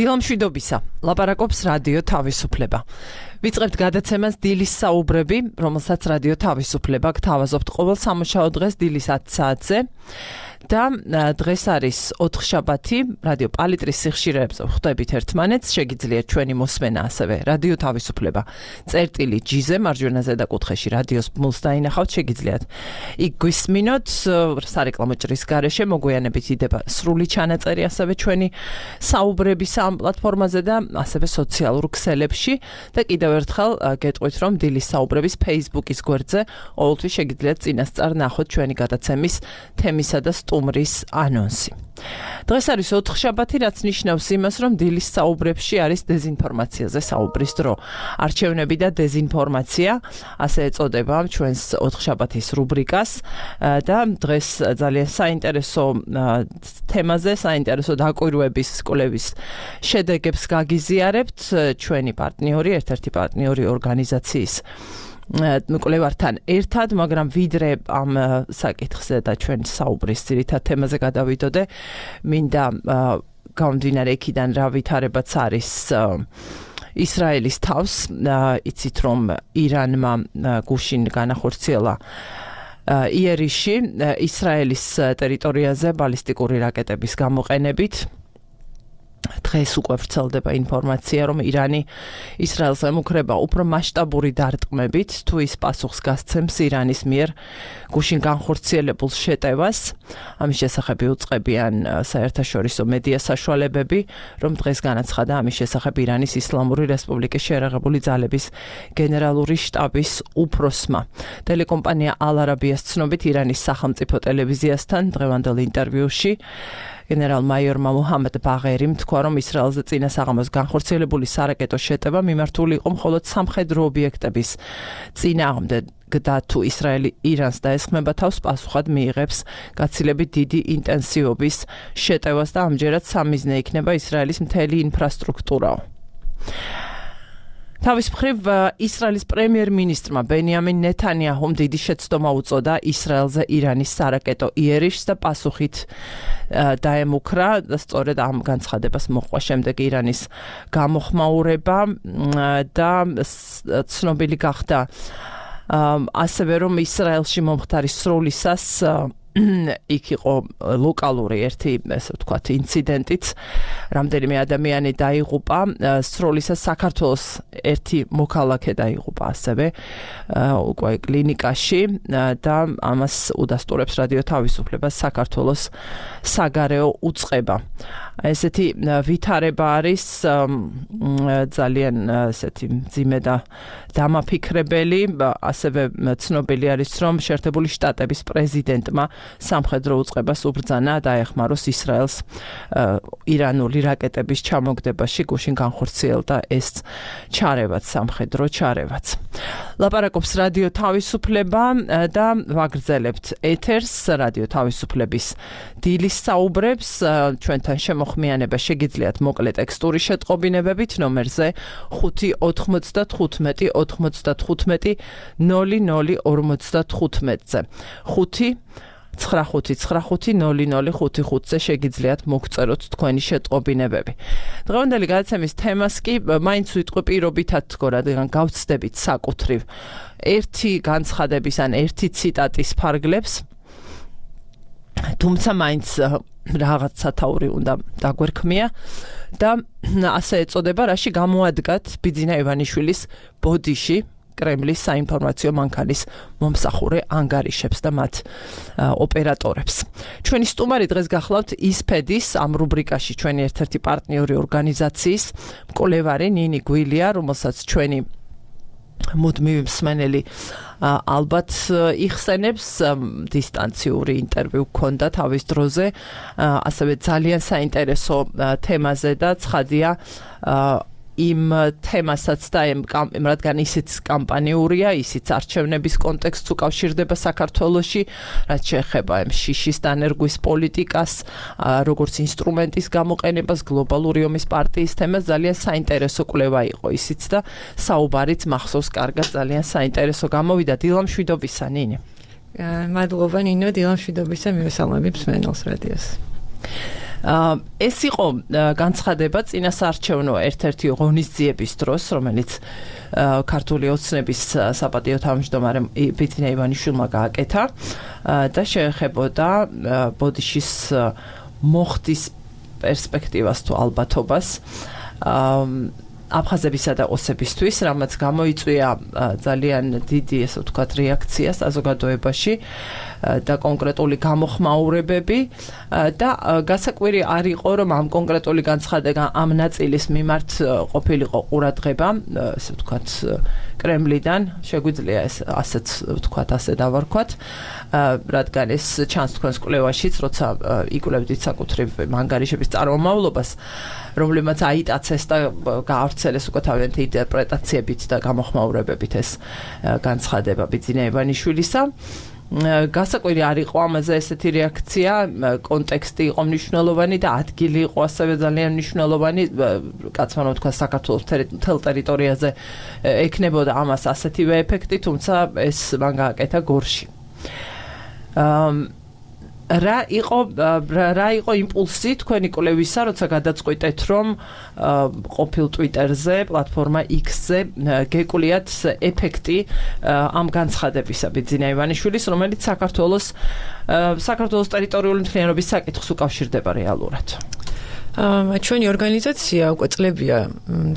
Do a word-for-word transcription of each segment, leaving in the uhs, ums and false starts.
დილამშვიდობისა, ლაპარაკობს რადიო თავისუფლება. ვიწყებთ გადაცემას დილის საუბრები, რომელსაც რადიო თავისუფლება გთავაზობთ ყოველ სამუშაო დღეს დილის ათი საათზე. და დღეს არის ოთხშაბათი, რადიო პალიტრის სიხშირეებზე ვხვდებით ერთმანეთს, შეგიძლიათ ჩვენი მოსმენა ასევე რადიო თავისუფლება. წერტილი ჯიზე მარჯვენა ზედაკუთხეში რადიოს ბმულს დაინახავთ, შეგიძლიათ იქ გვისმინოთ, სარეკლამო ჭრის გარეშე მოგვიანებით იდება სრული ჩანაწერი ასევე ჩვენი საუბრების ამ პლატფორმაზე და ასევე სოციალურ ქსელებში და კიდევ ერთხელ გეტყვით, რომ დილის საუბრების Facebook-ის გვერდზე ყოველთვის შეგიძლიათ წინასწარ ნახოთ ჩვენი გადაცემის თემისა და სტუმრის ანონსი. დღეს არის ოთხშაბათი, რაც ნიშნავს იმას, რომ დილის საუბრებში არის დეზინფორმაციაზე საუბრის დრო. არჩევნები და დეზინფორმაცია, ასე ეწოდება ჩვენს ოთხშაბათის რუბრიკას და დღეს ძალიან საინტერესო თემაზე, საინტერესო დაკვირვების კვლევის შედეგებს გაგიზიარებთ ჩვენი პარტნიორი, ერთ-ერთი პარტნიორი ორგანიზაციის მკვლევართან ერთად, მაგრამ ვიდრე ამ საკითხზე და ჩვენ საუბრის ძირითად თემაზე გადავიდოდე, მინდა გამომდინარე იქიდან რა ვითარებაც არის ისრაელის თავს, იცით რომ ირანმა გუშინ განახორციელა იერიში ისრაელის ტერიტორიაზე ბალისტიკური რაკეტების გამოყენებით. დღეს უკვე ვრცელდება ინფორმაცია, რომ ირანი ისრაელს ემუქრება უფრო მასშტაბური დარტყმებით, თუ ის პასუხს გასცემს ირანის მიერ გუშინ განხორციელებულ შეტევას. ამის შესახებ იუწყებიან საერთაშორისო მედია საშუალებები, რომ დღეს განაცხადა ამის შესახებ ირანის ისლამური რესპუბლიკის შეერაღებული ძალების გენერალური შტაბის უფროსმა. ტელეკომპანია ალ-არაბიას ცნობით, ირანის სახელმწიფო ტელევიზიასთან დღევანდელ ინტერვიუში გენერალ-მაიორმა მუჰამედ ბაღერიმ თქვა, რომ ისრაელზე წინა საღამოს განხორციელებული სარაკეტო შეტევა მიმართული იყო მხოლოდ სამხედრო ობიექტების წინააღმდეგ და თუ ისრაელი ირანს დაესხმება თავს, პასუხად მიიღებს გაცილებით დიდი ინტენსივობის შეტევას და ამჯერად სამიზნე იქნება ისრაელის მთელი ინფრასტრუქტურა. თავის მხრივ ისრაელის პრემიერ-მინისტრმა ბენიამინ ნეთანიაჰუმ დიდი შეცდომა უწოდა ისრაელზე ირანის სარაკეტო იერიშს და პასუხით დაემუქრა და სწორედ ამ განცხადებას მოჰყვა შემდეგ ირანის გამოხმაურება და ცნობილი გახდა ასევე რომ ისრაელში მომხდარი სროლისას იქ იყო ლოკალური ერთი, ესე ვთქვათ, ინციდენტიც, რამდენიმე ადამიანი დაიღუპა, სროლისას საქართველოს ერთი მოქალაქე დაიღუპა ასევე უკვე კლინიკაში და ამას udasturებს რადიო თავისუფლებას საქართველოს საგარეო უწყება. ესეთი ვითარება არის ძალიან ესეთი მძიმე და დამაფიქრებელი, ასევე ცნობილი არის, რომ შეერთებული შტატების პრეზიდენტმა სამხედრო უწყებას უბრძანა დაეხმაროს ისრაელს ირანული რაკეტების ჩამოგდებაში გუშინ განხორციელდა ეს ჩარევაც, სამხედრო ჩარევაც. ლაპარაკობს რადიო თავისუფლება და ვაგრძელებთ ეთერს რადიო თავისუფლების დილის საუბრებს. ჩვენთან შემოხმიანება შეგიძლიათ მოკლე ტექსტური შეტყობინებებით ნომერზე ხუთი ოცდათხუთმეტი ოცდათხუთმეტი ნული ნული ორმოცდათხუთმეტზე. ხუთი ცხრა ხუთი ცხრა ხუთი ნული ნული ხუთი ხუთზე შეგიძლიათ მოგწეროთ თქვენი შეტყობინებები. დღევანდელი გადაცემის თემას კი მაინც ვიტყვი პირობითად თქო, რადგან გავცდებით საკუთრივ ერთი განცხადების ან ერთი ციტატის ფარგლებს, თუმცა მაინც რაღაც სათაური უნდა დაგვერქმია და ასე ეწოდება, რაში გამოადგათ ბიძინა ივანიშვილის ბოდიში კრემლის საინფორმაციო მანქანის მომსახურე ანგარიშებს და მათ ოპერატორებს. ჩვენი სტუმარი დღეს გახლავთ ისფედის ამ რუბრიკაში ჩვენი ერთ-ერთი პარტნიორი ორგანიზაციის მკვლევარი ნინი გვილია, რომელსაც ჩვენი მუდმივი მსმენელი ალბათ იხსენებს, დისტანციური ინტერვიუ გქონდა თავის დროზე, ასევე ძალიან საინტერესო თემაზე და ცხადია იმ თემასაც და რადგან ისიც კამპანიურია, ისიც არჩევნების კონტექსტს უკავშირდება საქართველოში, რაც შეეხება შიშის დანერგვის პოლიტიკას, როგორც ინსტრუმენტის გამოყენებას, გლობალური ომის პარტიის თემას, ძალიან საინტერესო კვლევა იყო ისიც და საუბარიც მახსოვს კარგად, ძალიან საინტერესო გამოვიდა. დილამშვიდობისა, ნინი. მადლობა, ნინო, დილამშვიდობისა, მივესალმები მსმენელს რადიოს. ეს იყო განცხადება წინასაარჩევნო ერთ-ერთი ღონისძიების დროს, რომელიც ქართული ოცნების საპატიო თავმჯდომარემ ბიძინა ივანიშვილმა გააკეთა და შეეხებოდა ბოდიშის მოხდის პერსპექტივას თუ ალბათობას აფხაზებისა და ოსებისთვის, რამაც გამოიწვია ძალიან დიდი, ესე ვთქვათ, რეაქცია საზოგადოებაში და კონკრეტული გამოხმაურებები და გასაკვირი არ იყო, რომ ამ კონკრეტული განცხადება ამ ნაწილის მიმართ ყოფილიყო ყურადღება, ესე ვთქვათ, კრემლიდან, შეგვიძლია ეს ასეც ვთქვათ, ასე დავარქვათ, რადგან ეს ჩანს თქვენს კვლევაშიც, როცა იკვლევდით საკუთრივ მანგარიშების წარმომავლობას, რომლებმაც აიტაცეს და გაავრცელეს უკვე თავიანთი ინტერპრეტაციებით და გამოხმაურებებით ეს განცხადება ბიძინა ივანიშვილისა. გასაკვირი არ იყო ამაზე ესეთი რეაქცია, კონტექსტი იყო მნიშვნელოვანი და ადგილი იყო ასევე ძალიან მნიშვნელოვანი, კაცმა რომ თქვა საქართველოს მთელ ტერიტორიაზე ექნებოდა ამას ასეთივე ეფექტი, თუმცა ეს მან გააკეთა გორში. რა იყო რა იყო იმპულსი თქვენი კვლევისა, როცა გადაწყვიტეთ, რომ ყოფილ Twitter-ზე, პლატფორმა X-ზე გეკულიათ ეფექტი ამ განცხადებისა ბიძინა ივანიშვილის, რომელიც საქართველოს საქართველოს ტერიტორიული მთლიანობის საკითხს უკავშირდება რეალურად. ჩვენი ორგანიზაცია უკვე წლებია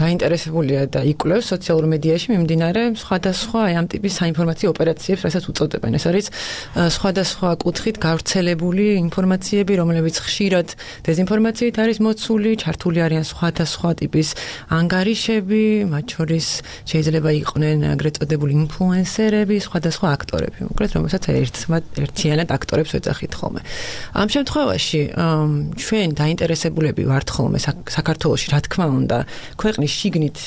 დაინტერესებულია და იკვლევს სოციალურ მედიაში მიმდინარე სხვადასხვა ამ ტიპის საინფორმაციო ოპერაციებს, რასაც უწოდებენ. ეს არის სხვადასხვა კუთხით გავრცელებული ინფორმაციები, რომლებიც ხშირად დეზინფორმაციით არის მოცული, ჩართული არიან სხვადასხვა ტიპის ანგარიშები, მათ შორის შეიძლება იყვნენ ეგრეთ წოდებული ინფლუენსერები, სხვადასხვა აქტორები, უკეთ რომელსაც ერთიანად აქტორებს ვეძახით ხოლმე. ამ შემთხვევაში ჩვენ დაინტერესებულები ვართ ხოლმე საქართველოში, რა თქმა უნდა, ქვეყნის შიგნით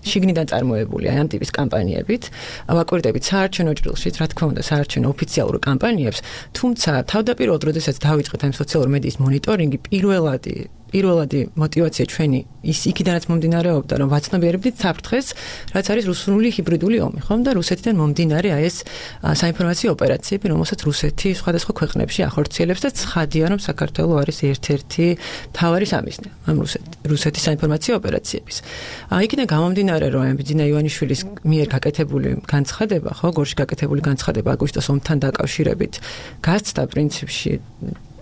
შიგნიდან წარმოებული აი ამ ტიპის კამპანიებით, ვაკვირდებით საარჩევნო ჭრილშიც, რა თქმა უნდა, საარჩევნო ოფიციალურ კამპანიებს, თუმცა თავდაპირველად, როდესაც დავიწყეთ ამ სოციალური მედიის მონიტორინგი, პირველადი პირველადი мотиваცია ჩვენი ის იქიდანაც მომდინარეობდა, რომ ვაცნობიერებდით საფრთხეს, რაც არის რუსული ჰიბრიდული ომი, ხომ და რუსეთიდან მომდინარე აი ეს საინფორმაციო ოპერაციები, რომელსაც რუსეთი სხვადასხვა ქვეყნებში ახორციელებს და ცხადია, რომ საქართველო არის ერთ-ერთი მთავარი სამიზნე ამ რუსეთის საინფორმაციო ოპერაციების. იქიდან გამომდინარე, რომ ბიძინა ივანიშვილის მიერ გაკეთებული განცხადება, ხო, გორში გაკეთებული განცხადება აგვისტოს ომთან დაკავშირებით, გასცდა პრინციპში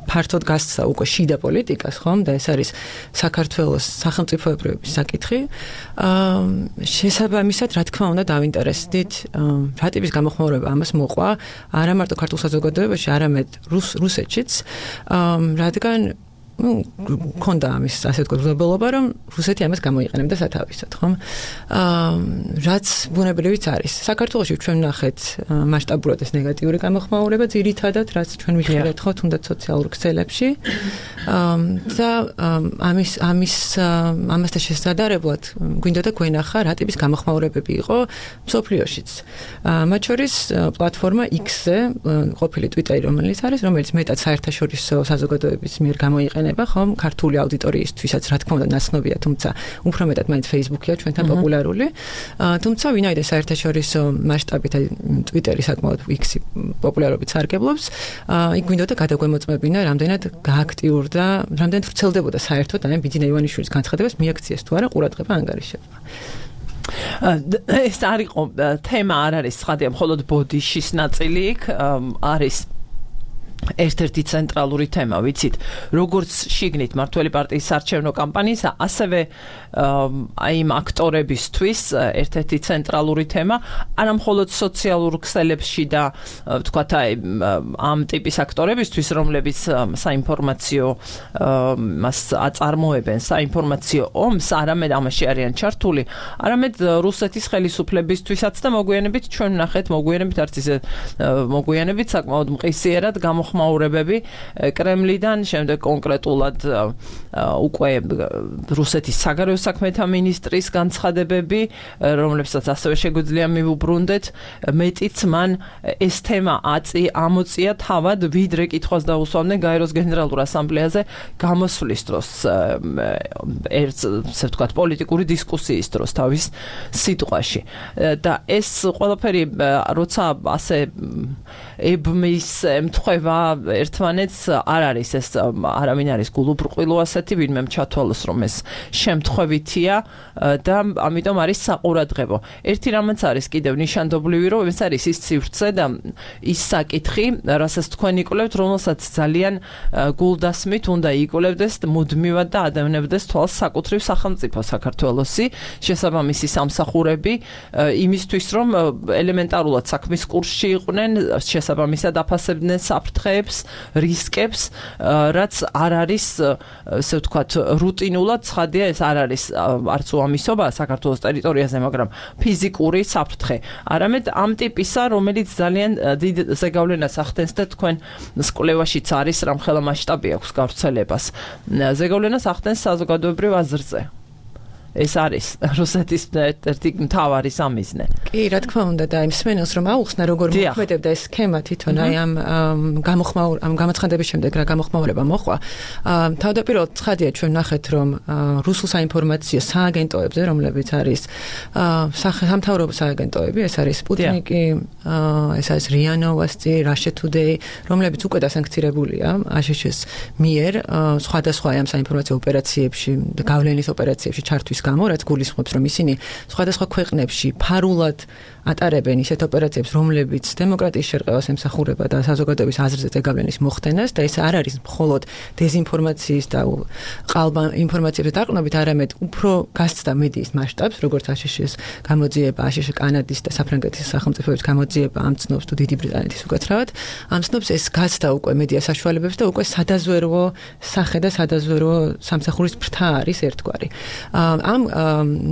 ფართოდ გასცა უკვე შიდა პოლიტიკას, ხომ და ეს არის საქართველოს სახელმწიფოებრიობის საკითხი. შესაბამისად, რა თქმა უნდა, დავინტერესდით, რა ტიპის გამოხმაურება ამას მოყვა, არა მარტო ქართულ საზოგადოებაში, არამედ რუსეთშიც, რადგან ну, კონდა ამის ასე ვთქვათ, ვლებლობა, რომ რუსეთი ამას გამოიყენებდა სათავისად, ხომ? აა, რაც ბუნებრივიც არის. საქართველოში ჩვენ ვნახეთ მასშტაბურად ეს ნეგატიური გამოხმაურება, ძირითადად, რაც ჩვენ ვიხილეთ ხო თუნდაც სოციალურ ქსელებში. აა, და ამის ამის ამასთან შესაძლებლად გვინდოდა გვენახა რა ტიპის გამოხმაურებები იყო მსოფლიოშიც. აა, მათ შორის პლატფორმა X-ზე, ყოფილი Twitter-ი, რომელიც არის, რომელიც მეტად საერთაშორისო საზოგადოების მიერ გამოიყენება ხომ ქართული აუდიტორიისთვისაც რა თქმა უნდა ნაცნობია, თუმცა უფრო მეტად მაინც Facebook-ია ჩვენთან პოპულარული. თუმცა ვინაიდან საერთაშორისო მასშტაბით Twitter-ი საკმაოდ X-ი პოპულარობით სარგებლობს, იქ გვინდოდა გადაგვემოწმებინა, რამდენად გააქტიურდა, რამდენად ვრცელდებოდა საერთოდ აი ბიძინა ივანიშვილის განცხადებას მიაქციეს თუ არა ყურადღება ანგარიშებმა. ეს არ იყო თემა არ არის ცხადია, მხოლოდ ბოდიშის ნაწილი იქ არის ერთ-ერთი ცენტრალური თემა, ვიცით, როგორც შიგნით მართველი პარტიის საარჩევნო კამპანიისა, ასევე აი იმ აქტორებისთვის ერთ-ერთი ცენტრალური თემა, არა მხოლოდ სოციალურ ქსელებში და ვთქვათ, აი ამ ტიპის აქტორებისთვის, რომლებიც საინფორმაციო მას აწარმოებენ, საინფორმაციო ომს, არამედ ამაში არიან ჩართული, არამედ რუსეთის ხელისუფლებისთვისაც და მოგვიანებით ჩვენ ვნახეთ, მოგვიანებით არც ისე მოგვიანებით საკმაოდ მყისიერად გამოხმაურებები კრემლიდან, შემდეგ კონკრეტულად უკვე რუსეთის საგარეო საქმეთა მინისტრის განცხადებები, რომლებსაც ასევე შეგვიძლია მივუბრუნდეთ, მეტიც მან ეს თემა აწი ამოწია თავად, ვიდრე კითხვას დაუსვამდნენ გაეროს გენერალურ ასამბლეაზე გამოსვლის დროს, ერთ ასე ვთქვათ, პოლიტიკური დისკუსიის დროს თავის სიტყვაში. და ეს ყველაფერი, როცა ასე ებმის ემთხვევა ერთმანეთს არ არის ეს არავინ არის გულუბრყვილო ასეთი ვინმე ჩათვალოს რომ ეს შემთხვევითია და ამიტომ არის საყურადღებო. ერთი რამაც არის კიდევ ნიშანდობლივი რომ ეს არის ის სივრცე და ის საკითხი, რასაც თქვენ იკვლევთ, რომელსაც ძალიან გულდასმით უნდა იკვლევდეს მუდმივად და ადევნებდეს თვალს საკუთრივ სახელმწიფო საქართველოსი, შესაბამისი სამსახურები იმისთვის რომ ელემენტარულად საქმის კურსში იყვნენ, შესაბამისად აფასებდნენ საფრთხეებს, რისკებს, რაც არ არის, ესე ვთქვათ, რუტინულად ცხადია, ეს არ არის არც უამისობა საქართველოს ტერიტორიაზე, მაგრამ ფიზიკური საფრთხე. არამედ ამ ტიპისა, რომელიც ძალიან დიდ ზეგავლენას ახდენს და თქვენ კვლევაშიც არის რამხელა მასშტაბი აქვს გავრცელებას. ზეგავლენას ახდენს საზოგადოებრივ აზრზე. ეს არის რუსეთის ერთ-ერთი მთავარი სამიზნე. კი, რა თქმა უნდა და იმ სმენელს რომ აუხსნა როგორ მოქმედებდა ეს სქემა თვითონ აი ამ გამოხმაურ ამ გამოცხადების შემდეგ რა გამოხმაურება მოხდა. თავდაპირველად ცხადია ჩვენ ნახეთ რომ რუსულ საინფორმაციო სააგენტოებზე რომლებიც არის სამთავრობო სააგენტოები, ეს არის სპუტნიკი, ეს არის რია ნოვოსტი, Russia Today, რომლებიც უკვე დასანქცირებულია აშშ-ის მიერ სხვადასხვა ამ საინფორმაციო ოპერაციებში და გავლენის ოპერაციებში ჩართვის გამო, რაც გულისხმობს, რომ ისინი სხვადასხვა ქვეყნებში ფარულად ატარებენ ისეთ ოპერაციებს, რომლებიც დემოკრატიის შერყევას ემსახურება და საზოგადოების აზრზე ზეგავლენის მოხდენას და ეს არ არის მხოლოდ დეზინფორმაციის და ყალბა ინფორმაციების დაყრდნობით, არამედ უფრო გასცდა მედიის მასშტაბს, როგორც აშშ-ის გამოძიება, აშშ კანადის და საფრანგეთის სახელმწიფოების გამოძიება ამ ცნობს თუ დიდი ბრიტანეთის უკაცრავად, ამ ცნობს ეს გასცდა უკვე მედია საშუალებებს და უკვე სადაზვერვო სახე და სადაზვერვო სამსახურის ფრთა არის ერთგვარი. ამ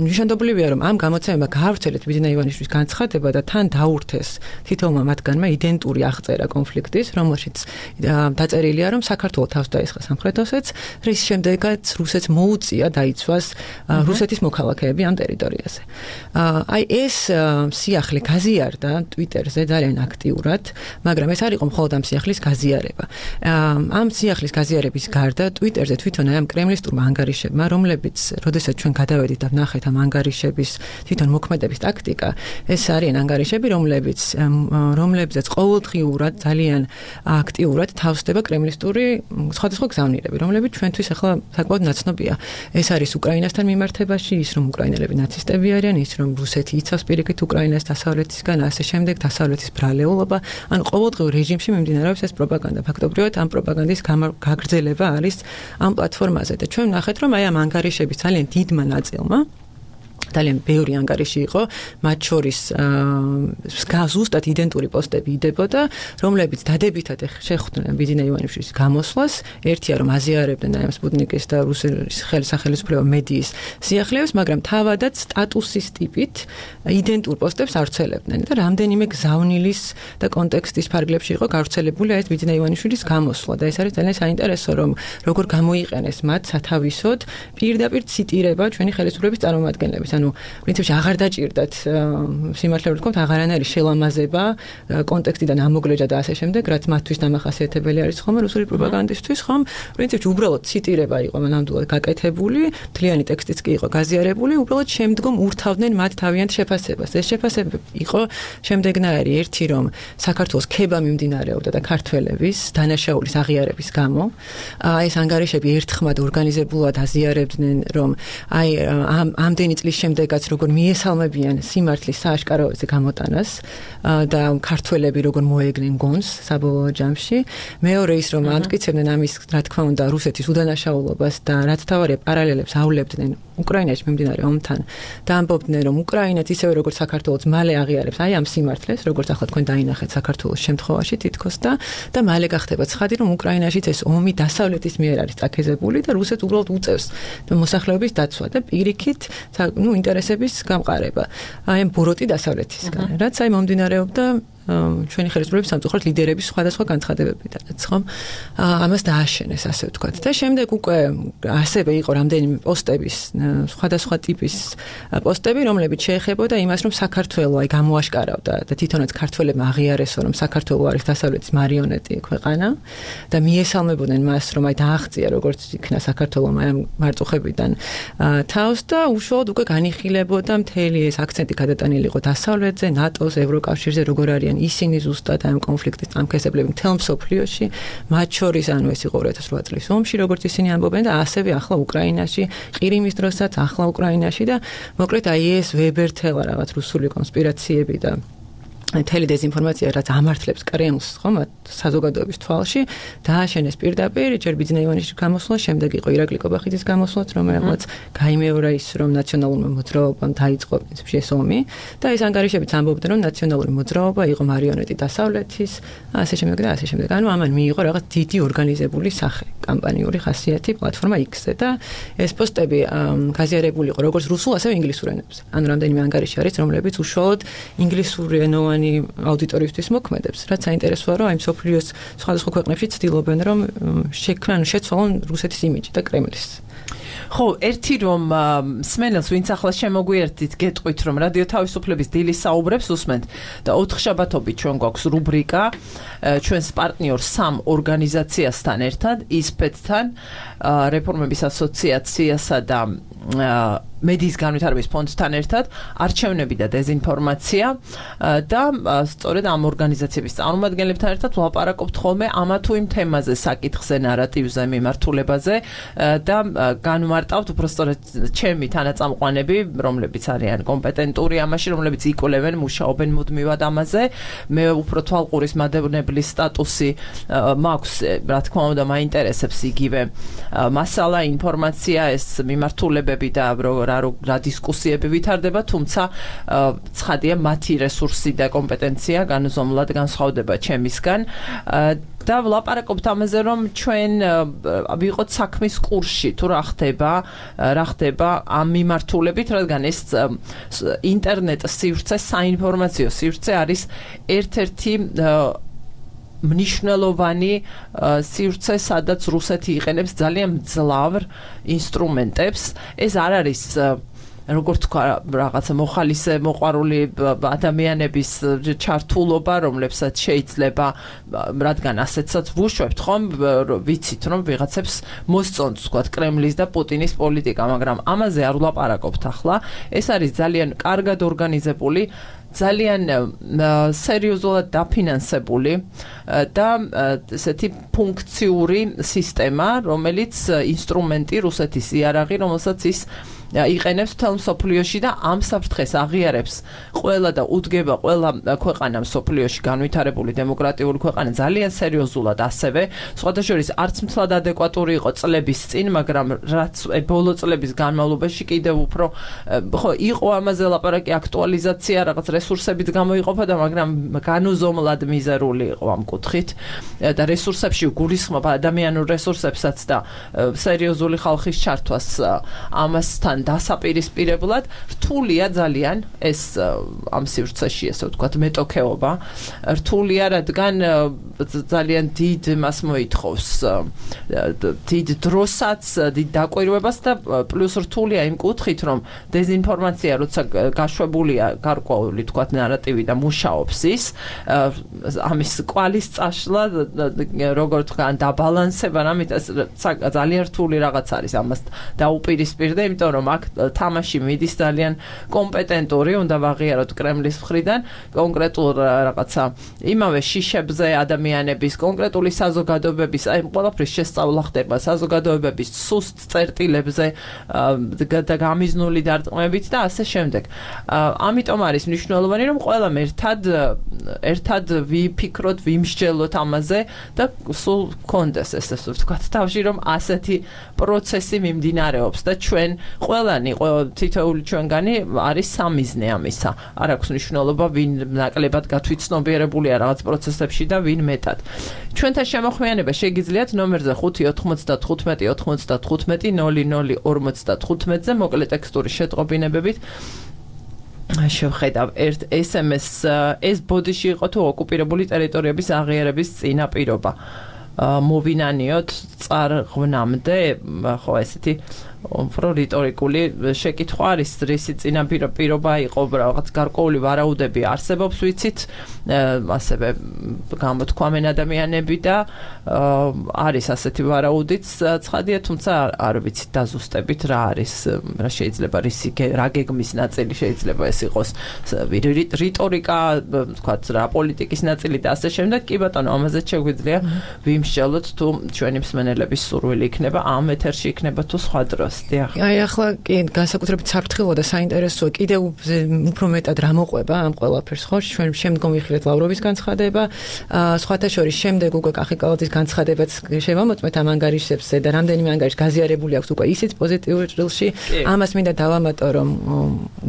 ნიშანდობლივია რომ ამ გამოცემებმა გაავრცელეთ ბიძინა ივანიშვილის განცხადება და თან დაურთეს თითოეულმა მათგანმა იდენტური აღწერა კონფლიქტის, რომელშიც დაწერილია რომ საქართველოს თავს დაესხა სამხრეთ ოსეთს, რის შემდეგაც რუსეთს მოუწია დაიცვას რუსეთის მოქალაქეები ამ ტერიტორიაზე. აი ეს სიახლე გაზიარდა ტვიტერზე ძალიან აქტიურად, მაგრამ ეს არ იყო მხოლოდ ამ სიახლის გაზიარება. ამ სიახლის გაზიარების გარდა ტვიტერზე თვითონ აი ამ კრემლისტურმა ანგარიშებმა, რომლებიც როდესაც ჩვენ გადავედით და ვნახეთ ამ ანგარიშების თვითონ მოქმედების ტაქტიკა, ეს არიან ანგარიშები, რომლებიც რომლებზეც ყოველდღიურად ძალიან აქტიურად თავსდება კრემლისტური სხვადასხვა გზავნილები, რომლებიც ჩვენთვის ახლა საკმაოდ ნაცნობია. ეს არის უკრაინასთან მიმართებაში, ის რომ უკრაინელები ნაცისტები არიან, ის რომ რუსეთი იცავს პირიქით უკრაინას დასავლეთისგან, ასე შემდეგ დასავლეთის ბრალეულობა, ან ყოველდღიურ რეჟიმში მიმდინარეობს ეს პროპაგანდა. ფაქტობრივად ამ პროპაგანდის გაგრძელება არის ამ პლატფორმაზე და ჩვენ ვნახეთ, რომ აი ამ ანგარიშების ძალიან დიდმა ნაწილმა ძალიან ბევრი ანგარიში იყო, მათ შორის ზუსტად იდენტური პოსტები იდებოდა, რომლებიც დადებითად შეხვდნენ ბიძინა ივანიშვილის გამოსვლას, ერთია რომ აზიარებდნენ აი ამ სპუტნიკის და რუსეთის ხელისუფლება მედიის სიახლეებს, მაგრამ თავადაც სტატუსის ტიპით იდენტურ პოსტებს ავრცელებდნენ და რამდენიმე გზავნილის და კონტექსტის ფარგლებში იყო გავრცელებული ეს ბიძინა ივანიშვილის გამოსვლა და ეს არის ძალიან საინტერესო რომ როგორ გამოიყენეს მათ სათავისოდ პირდაპირ ციტირება ჩვენი ხელისუფლების წარმომადგენლების, ანუ პრინციპში აღარ დაჭირდათ სიმართლე რომ ვთქვათ, აღარანაირი შელამაზება კონტექსტიდან ამოგლეჯა და ასე შემდეგ, რაც მათთვის დამახასიათებელი არის ხომ რუსული პროპაგანდისტვის, ხომ პრინციპში უბრალოდ ციტირება იყო ნამდვილად გაკეთებული, მთლიანი ტექსტიც კი იყო გაზიარებული, უბრალოდ შემდგომ ურთავდნენ მათ თავიანთ შეფასებას. ეს შეფასება იყო შემდეგნაირი, ერთი რომ საქართველოს ქება მიმდინარეობდა და ქართველების დანაშაულის აღიარების გამო, აი ეს ანგარიშები ერთხმად ორგანიზებულად აზიარებდნენ, რომ აი ამ ამდენი წლის შემდეგაც როგორ მიესალმებიან სიმართლის სააშკაროზე გამოტანას და ქართველები როგორ მოეგნენ გონს საბოლოო ჯამში. მეორე ის რომ ამტკიცებდნენ ამის, რა თქმა უნდა, რუსეთის უდანაშაულობას და რაც თავარია პარალელებს ავლებდნენ უკრაინაში მიმდინარე ომთან და ამბობდნენ რომ უკრაინაც ისევე როგორც საქართველოს მალე აღიარებს აი ამ სიმართლეს, როგორც ახლა თქვენ დაინახეთ საქართველოს შემთხვევაში თითქოს და და მალე გახდება ცხადი რომ უკრაინაშიც ეს ომი დასავლეთის მიერ არის წაქეზებული და რუსეთს უბრალოდ უწევს მოსახლეობის დაცვა და პირიქით ნუ ინტერესების გამყარება. აი ამ ბოროტი დასავლეთისგან, რაც აი მომდინარეობდა ჩვენი ხელისუფლების სამწუხაროდ ლიდერების სხვადასხვა განცხადებებიდანაც, ხომ? ამას დააშენეს, ასე ვთქვათ. და შემდეგ უკვე ასევე იყო რამდენიმე პოსტების, სხვადასხვა ტიპის პოსტები, რომლებიც შეეხებოდა იმას, რომ საქართველო აი გამოაშკარავდა და თვითონაც ქართველებმა აღიარესო, რომ საქართველო არის დასავლეთის მარიონეტი ქვეყანა და მიესალმებოდნენ მას, რომ აი დააღწია როგორც იქნა საქართველომ აი ამ მარწუხებიდან თავს და უშუალოდ უკვე განიხილებოდა მთელი ეს აქცენტი გადატანილი იყო დასავლეთზე, ნატოს, ევროკავშირზე, როგორ არიან არიან ისინი ზუსტად ამ კონფლიქტის წამქესებლები მთელ მსოფლიოში, მათ შორის ანუ ეს იყო ორი ათას ოთხ წლის ომში, როგორც ისინი ამბობენ და ასევე ახლა უკრაინაში, ყირიმის დროსაც ახლა უკრაინაში და მოკლედ აი ეს ვებერთელა რაღაც რუსული კონსპირაციები და მთელი დეზინფორმაცია რაც ამართლებს კრემლს ხომ საზოგადოების თვალში დააშენეს პირდაპირ ჯერ ბიძნაივანიშვილის გამოსვლა, შემდეგ იყო ირაკლი კობახიძის გამოსვლაც, რომელმაც გაიმეორა ის რომ ნაციონალურმა მოძრაობამ დაიწყო პრინციპში ეს ომი და ეს ანგარიშებიც ამბობდნენ რომ ნაციონალური მოძრაობა იყო მარიონეტი დასავლეთის, ასე შემდეგ და ასე შემდეგ. ანუ ამან მიიღო რაღაც დიდი ორგანიზებული სახე, კამპანიური ხასიათი პლატფორმა X-ზე და ეს პოსტები გაზიარებული იყო როგორც რუსულ, ასევე ინგლისურ ენებზე. ანუ რამდენიმე ანგარიში არის, რომლებიც უშუალოდ ინგლისური ენოვანი აუდიტორიისთვის მოქმედებს, რაც საინტერესოა, რომ აი მსოფლიოს სხვადასხვა ქვეყნებში ცდილობენ, რომ შექმნან, შეცვალონ რუსეთის იმიჯი და კრემლის. ხო, ერთი რომ სმენელს ვინც ახლა შემოგვიერთდით, გეტყვით რომ რადიო თავისუფლების დილის საუბრებს უსმენთ და ოთხშაბათობით ჩვენ გვაქვს რუბრიკა ჩვენს პარტნიორ სამ ორგანიზაციასთან ერთად, ისპეთთან, რეფორმების ასოციაციასა და მედიის განვითარების ფონდთან ერთად არჩევნები და დეზინფორმაცია და სწორედ ამ ორგანიზაციების წარმომადგენლებთან ერთად ვლაპარაკობთ ხოლმე ამა თუ იმ თემაზე, საკითხზე, ნარატივზე, მიმართულებაზე და განვმარტავთ უბრალოდ ჩემი თანაწამყვანები, რომლებიც არიან კომპეტენტური ამაში, რომლებიც იკვლევენ, მუშაობენ მუდმივად ამაზე. მე უფრო თვალყურის მადევნებლის სტატუსი მაქვს, რა თქმა უნდა, მაინტერესებს იგივე მასალა, ინფორმაცია, ეს მიმართულებები და რა რა დისკუსიები ვითარდება, თუმცა ცხადია მათი რესურსი და კომპეტენცია განზომლად განსხვავდება ჩემისგან და ვლაპარაკობთ ამაზე, რომ ჩვენ ვიყოთ საქმის კურსში, თუ რა ხდება, რა ხდება ამ მიმართულებით, რადგან ეს ინტერნეტ სივრცე, საინფორმაციო სივრცე არის ერთ-ერთი მნიშვნელოვანი სივრცე, სადაც რუსეთი იყენებს ძალიან მძლავრ ინსტრუმენტებს. ეს არ არის როგორც თქვა, რაღაცა მოხალისე მოყვარული ადამიანების ჩართულობა, რომლებსაც შეიძლება, რადგან ასეთსაც ვუშვებთ, ხომ, ვიცით, რომ ვიღაცებს მოსწონთ, თქვა, კრემლის და პუტინის პოლიტიკა, მაგრამ ამაზე არ ვლაპარაკობთ ახლა. ეს არის ძალიან კარგად ორგანიზებული, ძალიან სერიოზულად დაფინანსებული და ესეთი ფუნქციური სისტემა, რომელიც ინსტრუმენტი რუსეთის იარაღი, რომელსაც ის იყენებს მთელ მსოფლიოში და ამ საფრთხეს აღიარებს ყველა და უდგება ყველა ქვეყანა მსოფლიოში, განვითარებული დემოკრატიული ქვეყანა ძალიან სერიოზულად ასევე. სხვადასხვა არც მთლად ადეკვატური იყო წლების წინ, მაგრამ რაც ბოლო წლების განმავლობაში კიდევ უფრო ხო იყო ამაზე ლაპარაკი, აქტუალიზაცია, რაღაც რესურსებით გამოიყოფოდა, მაგრამ განუზომლად მიზერული იყო ამ კუთხით და რესურსებში გულისხმობა ადამიანურ რესურსებსაც და სერიოზული ხალხის ჩართვას ამასთან დასაპირისპირებლად რთულია ძალიან ეს ამ სივრცეში, ესე ვთქვათ, მეტოქეობა. რთულია, რადგან ძალიან დიდ მას მოითხოვს დიდ დროსაც, დიდ დაკვირვებას და პლუს რთულია იმ კუთხით, რომ დეზინფორმაცია, როცა გაშვებულია გარკვეული, ვთქვათ, ნარატივი და მუშაობს ის, ამის კვალის წაშლა, როგორ თქვა, დაბალანსება, ამიტომ ძალიან რთული რაღაც არის ამას დაუპირისპირდა, იმიტომ რომ აქ თამაში მიდის ძალიან კომპეტენტური, უნდა ვაღიაროთ კრემლის მხრიდან, კონკრეტულ რაღაცა იმავე შიშებზე ადამიანების, კონკრეტული საზოგადოებების, აი ყველაფრის შესწავლა ხდება საზოგადოებების სუსტ წერტილებზე და გამიზნული დარტყმებით და ასე შემდეგ. ამიტომ არის მნიშვნელოვანი, რომ ყველამ ერთად ერთად ვიფიქროთ, ვიმსჯელოთ ამაზე და სულ გქონდეს ესე ვთქვათ, თავში რომ ასეთი პროცესი მიმდინარეობს და ჩვენ ყველანი, თითოეული ჩვენგანი არის სამიზნე ამისა. არ აქვს მნიშვნელობა, ვინ ნაკლებად გათვითცნობიერებულია რაღაც პროცესებში და ვინ მეტად. ჩვენთან შემოხვიანება შეგიძლიათ ნომერზე ხუთი ოთხმოცდათხუთმეტი ოთხმოცდათხუთმეტი ნული ნული ორმოცდათხუთმეტზე მოკლე ტექსტური შეტყობინებებით შევხედავ ერთ ეს ემ ეს ეს ბოდიში იყო თუ ოკუპირებული ტერიტორიების აღიარების წინაპირობა. მოვინანიოთ წარღვნამდე, ხო ესეთი უფრო რიტორიკული შეკითხვა არის, რისი წინაპირობა პირობა იყო, რაღაც გარკვეული ვარაუდები არსებობს, ვიცით, ასევე გამოთქვამენ ადამიანები და არის ასეთი ვარაუდიც ცხადია, თუმცა არ ვიცით დაზუსტებით რა არის, რა შეიძლება რისი რა გეგმის ნაწილი შეიძლება ეს იყოს, რიტორიკა, თქვათ რა პოლიტიკის ნაწილი და ასე შემდეგ. კი ბატონო, ამაზე შეგვიძლია ვიმსჯელოთ თუ ჩვენი მსმენელების სურვილი იქნება ამ ეთერში იქნება თუ სხვა დროს. აი ახლა კი განსაკუთრებით საფრთხილო და საინტერესოა კიდევ უფრო მეტად რა მოყვება ამ ყველაფერს ხო ჩვენ შემდგომ ვიხილეთ ლავროვის განცხადება სხვათა შორის შემდეგ უკვე კახიკალაძის განცხადებაც შევამოწმეთ ამ ანგარიშებზე და რამდენიმე ანგარიში გაზიარებული აქვს უკვე ისიც პოზიტიურ ჭრილში ამას მინდა დავამატო რომ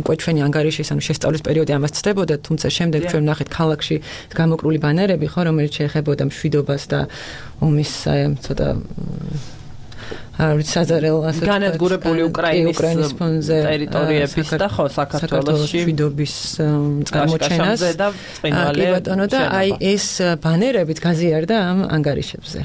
უკვე ჩვენი ანგარიშის ანუ შესწავლის პერიოდი ამას ცდებოდა თუმცა შემდეგ ჩვენ ნახეთ ქალაქში გამოკრული ბანერები ხო რომელიც შეეხებოდა მშვიდობას და ომის ცოტა საძარელ ასე განადგურებული უკრაინის ტერიტორიების და ხო საქართველოში მშვიდობის წარმოჩენას კი ბატონო და აი ეს ბანერებით გაზიარდა ამ ანგარიშებზე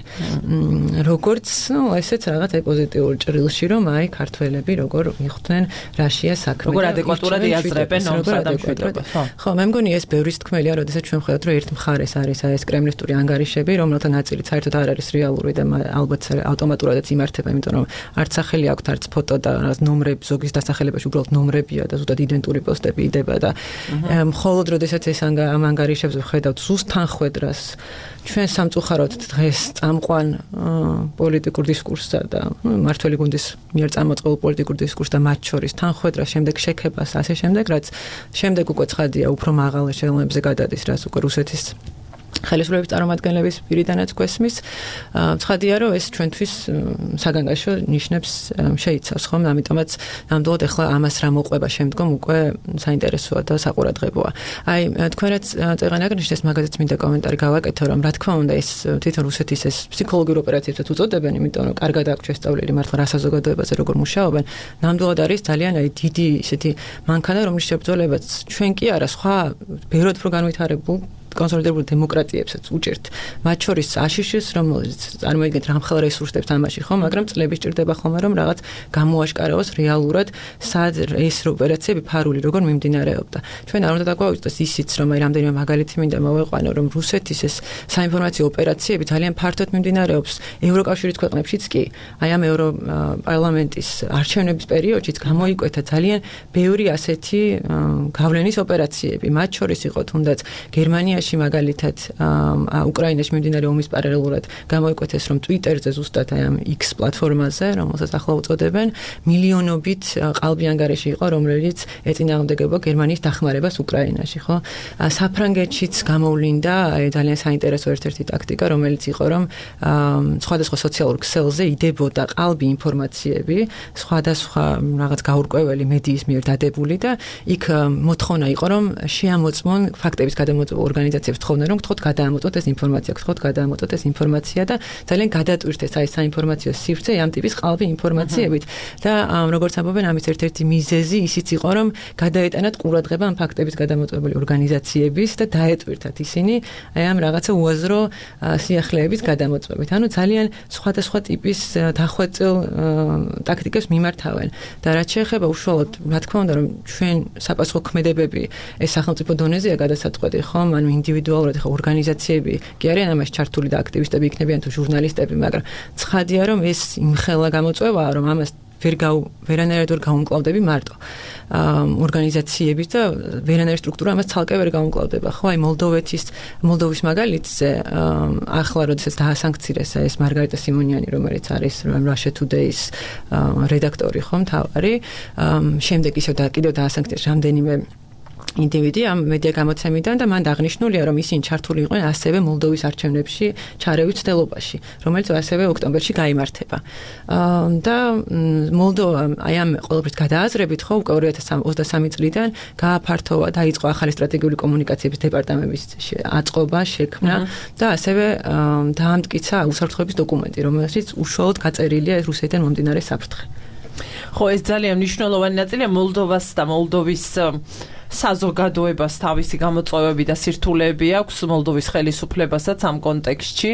როგორც ნუ ესეც რაღაც პოზიტიურ ჭრილში რომ აი ქართველები როგორ მიხვდნენ რაშია საქმე როგორ ადეკვატურად იაზრებენ ომსა და მშვიდობას ხო მე მგონი ეს ბევრის თქმელია როდესაც ჩვენ ხედავთ რომ ერთ მხარეს არის აი ეს კრემლისტური ანგარიშები რომელთა ნაწილი საერთოდ არ არის რეალური და ალბათ ავტომატურადაც იმართება იმიტომ რომ არც სახელი აქვს არც ფოტო და ნომრები ზოგის დასახელებაში უბრალოდ ნომრებია და ზუსტად იდენტური პოსტები იდება და მხოლოდ როდესაც ეს ამ ანგარიშებს ვხედავთ ზუსტ თანხwebdrას ჩვენ სამწუხაროდ დღეს წამყვან პოლიტიკურ დისკურსსა და მართველი გუნდის მიერ წამოწყებულ პოლიტიკურ დისკურსს და მათ შორის თანხwebdrას შემდეგ შექებას ასე შემდეგ რაც შემდეგ უკვე ცხადია უფრო მაღალ ეშელონებზე გადადის რაც უკვე რუსეთის ხელისუფლების წარმომადგენლების პირიდანაც გვესმის ცხადია რომ ეს ჩვენთვის საგანგაშო ნიშნებს შეიცავს ხომ ამიტომაც ნამდვილად ახლა ამას რა მოყვება შემდგომ უკვე საინტერესოა და საყურადღებოა აი თქვენაც წეღან აგნიშნეს მაგაზეც მინდა კომენტარი გავაკეთო რომ რა თქმა უნდა ეს თვითონ რუსეთის ეს ფსიქოლოგიურ ოპერაციებსაც უწოდებენ იმიტომ რომ კარგად აქვს შესწავლილი მართლა რა საზოგადოებაზე როგორ მუშაობენ ნამდვილად არის ძალიან აი დიდი ისეთი მანქანა რომლის შებრძოლებაც ჩვენ კი არა სხვა ბევრად უფრო განვითარებულ კონსოლიდირებული დემოკრატიებსაც უჭერთ. მათ შორის აშშ-ს რომელიც წარმოიდგენთ რამხელა რესურსებს ამაში ხო, მაგრამ წლები სჭირდება ხოლმე რომ რაღაც გამოაშკარავოს რეალურად სად ეს ოპერაციები ფარული როგორ მიმდინარეობდა. ჩვენ არ უნდა დაგვაუწყდეს ისიც რომ აი რამდენიმე მაგალითი მინდა მოვეყვანო რომ რუსეთის ეს საინფორმაციო ოპერაციები ძალიან ფართოდ მიმდინარეობს ევროკავშირის ქვეყნებშიც კი. აი ამ ევროპარლამენტის არჩევნების პერიოდშიც გამოიკვეთა ძალიან ბევრი ასეთი გავლენის ოპერაციები. მათ შორის იყო თუნდაც გერმანია მაგალითად უკრაინაში მიმდინარე ომის პარალელურად გამოიკვეთეს რომ Twitter-ზე ზუსტად აი ამ X პლატფორმაზე, რომელსაც ახლა უწოდებენ, მილიონობით ყალბი ანგარიში იყო, რომელიც ეწინააღმდეგებოდა გერმანიის დახმარებას უკრაინაში, ხო? საფრანგეთშიც გამოვლინდა აი ძალიან საინტერესო ერთ-ერთი ტაქტიკა, რომელიც იყო რომ სხვადასხვა სოციალურ ქსელზე იდებოდა ყალბი ინფორმაციები, სხვადასხვა რაღაც გაურკვეველი მედიის მიერ დადებული და იქ მოთხოვნა იყო რომ შეამოწმონ ფაქტების გადამოწმება ორგანიზაციებს თხოვდნენ რომ გთხოვთ გადაამოწმოთ ეს ინფორმაცია, გთხოვთ გადაამოწმოთ ეს ინფორმაცია და ძალიან გადატვირთეს აი საინფორმაციო სივრცე ამ ტიპის ყალბი ინფორმაციებით და როგორც ამბობენ ამის ერთ-ერთი მიზეზი ისიც იყო რომ გადაეტანათ ყურადღება ამ ფაქტების გადამოწმებელი ორგანიზაციების და დაეტვირთათ ისინი აი ამ რაღაცა უაზრო სიახლეების გადამოწმებით. ანუ ძალიან სხვადასხვა ტიპის დახვეწილ ტაქტიკებს მიმართავენ და რაც შეეხება უშუალოდ რა თქმა უნდა რომ ჩვენ საპასუხო ქმედებები ეს სახელმწიფო დონეზეა გადასაწყვეტი ხომ ანუ ინდივიდუალურად ხო ორგანიზაციები კი არიან ამაში ჩართული და აქტივისტები იქნებიან თუ ჟურნალისტები მაგრამ ცხადია რომ ეს იმხელა გამოწვევაა რომ ამას ვერ გაუ ვერანაირად ვერ გაუმკლავდები მარტო ორგანიზაციების და ვერანაირი სტრუქტურა ამას ცალკე ვერ გაუმკლავდება ხო აი მოლდოვეთის მოლდოვის მაგალითზე ახლა როდესაც დაასანქცირეს ეს მარგარიტა სიმონიანი რომელიც არის Russia Today-ის რედაქტორი ხო მთავარი შემდეგ ისევ და კიდევ დაასანქცირეს რამდენიმე ინდივიდი ამ მედია გამოცემიდან და მან აღნიშნულია რომ ისინი ჩართული იყვნენ ასევე მოლდოვის არჩევნებში ჩარევის ცდილობაში რომელიც ასევე ოქტომბერში გაიმართება და მოლდოვა აი ამ ყოველთვის გადააზრებით ხო უკვე ორი ათას ოცდასამი წლიდან გააფართოვა დაიწყო ახალი სტრატეგიული კომუნიკაციების დეპარტამენტის აწყობა შექმნა და ასევე დაამტკიცა უსაფრთხოების დოკუმენტი რომელშიც უშუალოდ გაწერილია რუსეთიდან მომდინარე საფრთხე ხო ეს ძალიან მნიშვნელოვანი ნაწილია მოლდოვას და მოლდოვის საზოგადოებას თავისი გამოწვევები და სირთულეები აქვს მოლდოვის ხელისუფლებასაც ამ კონტექსტში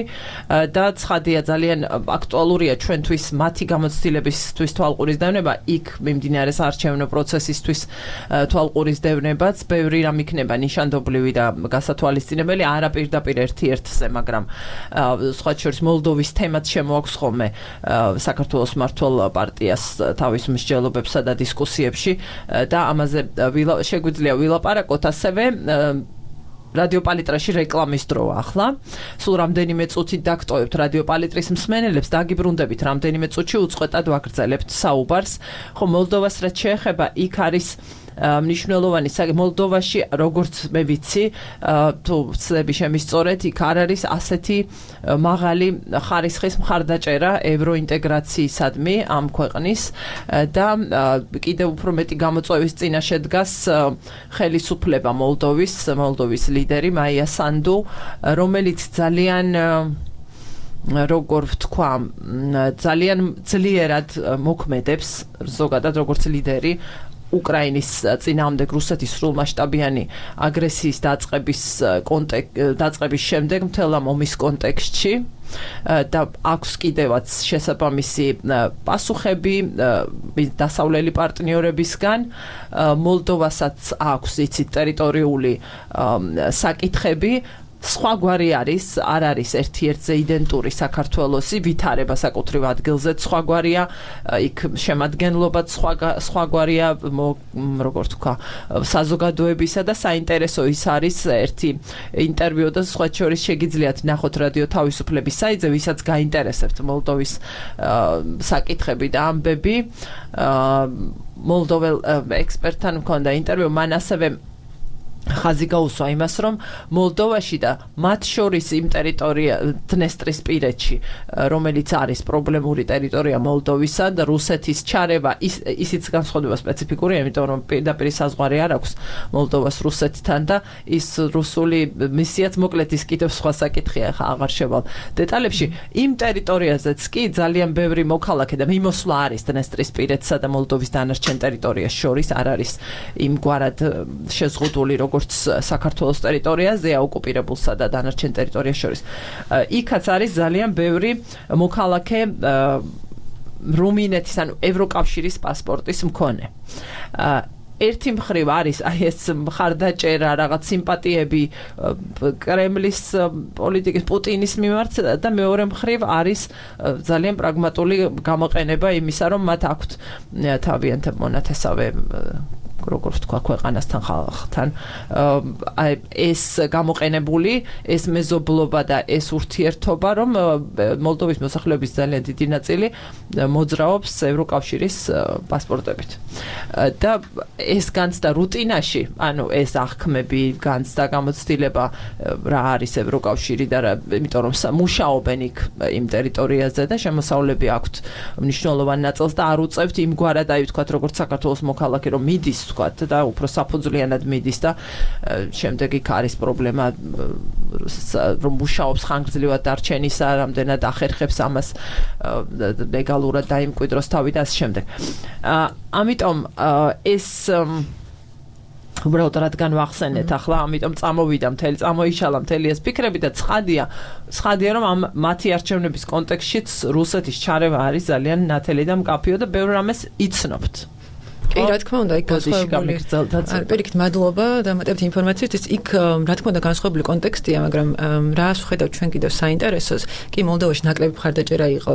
და ცხადია ძალიან აქტუალურია ჩვენთვის მათი გამოცდილებისთვის თვალყურისდევნება იქ მიმდინარე საარჩევნო პროცესისთვის თვალყურისდევნებაც ბევრი რამ იქნება ნიშანდობლივი და გასათვალისწინებელი არა პირდაპირ ერთ-ერთზე მაგრამ სხვა შორის მოლდოვის თემაც შემოაქვს ხოლმე საქართველოს მმართველ პარტიას თავის მსჯელობებსა და დისკუსიებში და ამაზე შეგვიძლია ვილაპარაკოთ ასევე რადიო პალიტრაში რეკლამის დროა ახლა. სულ რამდენიმე წუთით დაგტოვებთ რადიო პალიტრის მსმენელებს, დაგიბრუნდებით რამდენიმე წუთში უწყვეტად ვაგრძელებთ საუბარს. ხო, მოლდოვას რაც შეეხება, იქ არის მნიშვნელოვანი მოლდოვაში, როგორც მე ვიცი, თუ ვცდები შემისწორეთ, იქ არ არის ასეთი მაღალი ხარისხის მხარდაჭერა ევროინტეგრაციისადმი ამ ქვეყნის და კიდევ უფრო მეტი გამოწვევის წინაშე დგას ხელისუფლება მოლდოვის, მოლდოვის ლიდერი მაია სანდუ, რომელიც ძალიან როგორ ვთქვა, ძალიან ძლიერად მოქმედებს, ზოგადად როგორც ლიდერი უკრაინის წინააღმდეგ რუსეთის სრულმასშტაბიანი აგრესიის დაწყების დაწყების შემდეგ მთელ ამ ომის კონტექსტში და აქვს კიდევაც შესაბამისი პასუხები დასავლელი პარტნიორებისგან. მოლდოვასაც აქვს იცით ტერიტორიული საკითხები. სხვაგვარი არის, არ არის ერთ-ერთზე იდენტური საქართველოსი, ვითარება საკუთრივ ადგილზე სხვაგვარია, იქ შემადგენლობაც სხვაგვარია, როგორ თქვა, საზოგადოებისა და საინტერესო ის არის ერთი ინტერვიუ და სხვა შორის შეგიძლიათ ნახოთ რადიო თავისუფლების საიტზე, ვისაც გაინტერესებთ მოლდოვის საკითხები და ამბები. მოლდოվել ექსპერტთან მქონდა ინტერვიუ, მან ასევე ხაზი გაუსვა იმას, რომ მოლდოვაში და მათ შორის იმ ტერიტორია დნესტრისპირეთში, რომელიც არის პრობლემური ტერიტორია მოლდოვისა და რუსეთის ჩარევა, ისიც განსხვავდება სპეციფიკური, იმიტომ რომ პირდაპირ საზღვარი არ აქვს მოლდოვას რუსეთთან და ის რუსული მისიაც მოკლედ ის კიდევ სხვა საკითხია, ხა აღარ შევალ დეტალებში. იმ ტერიტორიაზეც კი ძალიან ბევრი მოქალაქე და მიმოსვლა არის დნესტრისპირეთსა და მოლდოვის დანარჩენ ტერიტორიას შორის, არ არის იმგვარად შეზღუდული როგორც საქართველოს ტერიტორიაზეა ოკუპირებულსა და დანარჩენ ტერიტორიას შორის. იქაც არის ძალიან ბევრი მოქალაქე რუმინეთის, ანუ ევროკავშირის პასპორტის მქონე. ერთი მხრივ არის აი ეს მხარდაჭერა, რაღაც სიმპათიები კრემლის პოლიტიკის პუტინის მიმართ და მეორე მხრივ არის ძალიან პრაგმატული გამოყენება იმისა, რომ მათ აქვთ თავიანთი მონათესავე როგორ ვთქვა ქვეყანასთან ხალხთან აი ეს გამოყენებული ეს მეზობლობა და ეს ურთიერთობა რომ მოლდოვის მოსახლეობის ძალიან დიდი ნაწილი მოძრაობს ევროკავშირის პასპორტებით და ეს განცდა რუტინაში ანუ ეს აღქმები განცდა გამოცდილება რა არის ევროკავშირი და რა იმიტომ რომ მუშაობენ იქ იმ ტერიტორიაზე და შემოსავლები აქვთ მნიშვნელოვან ნაწილს და არ უწევთ იმგვარად აი ვთქვათ როგორც საქართველოს მოქალაქე რომ მიდის ვთქვათ და უფრო საფუძვლიანად მიდის და შემდეგ იქ არის პრობლემა რომ მუშაობს ხანგრძლივად დარჩენისა რამდენად ახერხებს ამას ლეგალურად დაიმკვიდროს თავი და ასე შემდეგ. ამიტომ ეს უბრალოდ რადგან ვახსენეთ ახლა ამიტომ წამოვიდა მთელი წამოიშალა მთელი ეს ფიქრები და ცხადია ცხადია რომ ამ მათი არჩევნების კონტექსტშიც რუსეთის ჩარევა არის ძალიან ნათელი და მკაფიო და ბევრ რამეს იცნობთ. კი, რა თქმა უნდა, იქ განსხვავებული პირიქით მადლობა და მეტებით ინფორმაციისთვის. იქ რა თქმა უნდა განსხვავებული კონტექსტია, მაგრამ რას ვხედავთ ჩვენ კიდევ საინტერესოს, კი მოლდოვაში ნაკლები მხარდაჭერა იყო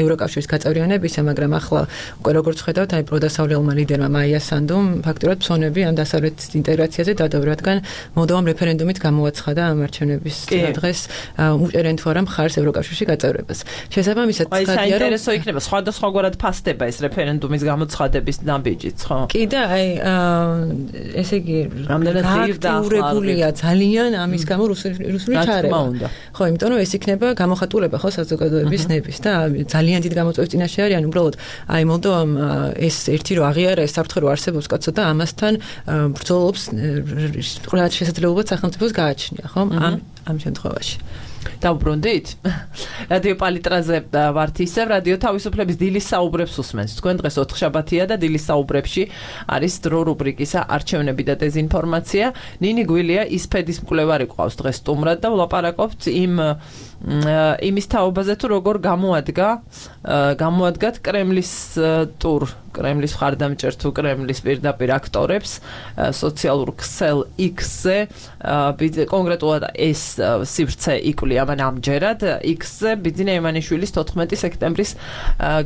ევროკავშირის გაწევრიანებისა, მაგრამ ახლა უკვე როგორც ვხედავთ, აი პროდასავლელმა ლიდერმა მაია სანდუმ ფაქტურად ფსონები ამ დასავლეთ ინტეგრაციაზე დადო, რადგან მოლდოვამ რეფერენდუმით გამოაცხადა ამ არჩევნების დღეს უჭერენ თუ არა მხარს ევროკავშირში გაწევრებას. შესაბამისად, ცხადია რომ საინტერესო იქნება სხვადასხვაგვარად ფასდება ეს რეფერენდუმის გამოცხადების ნაბიჯიც, ხო? კი და აი ესე იგი რამდენად ღირსებულია ძალიან ამის გამო რუსული ჩარევა. ხო, იმიტომ რომ ეს იქნება გამოხატულება ხო საზოგადოების ნების და ძალიან დიდ გამოწვევის წინაშე არიან უბრალოდ აი მოლდოვამ ეს ერთი რო აღიარა ეს საფრთხე რო არსებობს კაცო და ამასთან ბრძოლობს ყველა შესაძლებლობად სახელმწიფოს გააჩნია, ხო? ამ ამ შემთხვევაში. დავბრუნდით? რადიო პალიტრაზე ვართ ისევ, რადიო თავისუფლების დილის საუბრებს უსმენთ. თქვენ დღეს ოთხშაბათია და დილის საუბრებში არის დრო რუბრიკისა არჩევნები და დეზინფორმაცია. ნინი გვილია ისფედის მკვლევარი ყავს დღეს სტუმრად და ვლაპარაკობთ იმ იმის თაობაზე თუ როგორ გამოადგა გამოადგათ კრემლის ტურ კრემლის მხარდამჭერ თუ კრემლის პირდაპირ აქტორებს სოციალურ ქსელ X-ზე კონკრეტულად ეს სივრცე იკვლია მან ამჯერად X-ზე ბიძინა ივანიშვილის თოთხმეტი სექტემბრის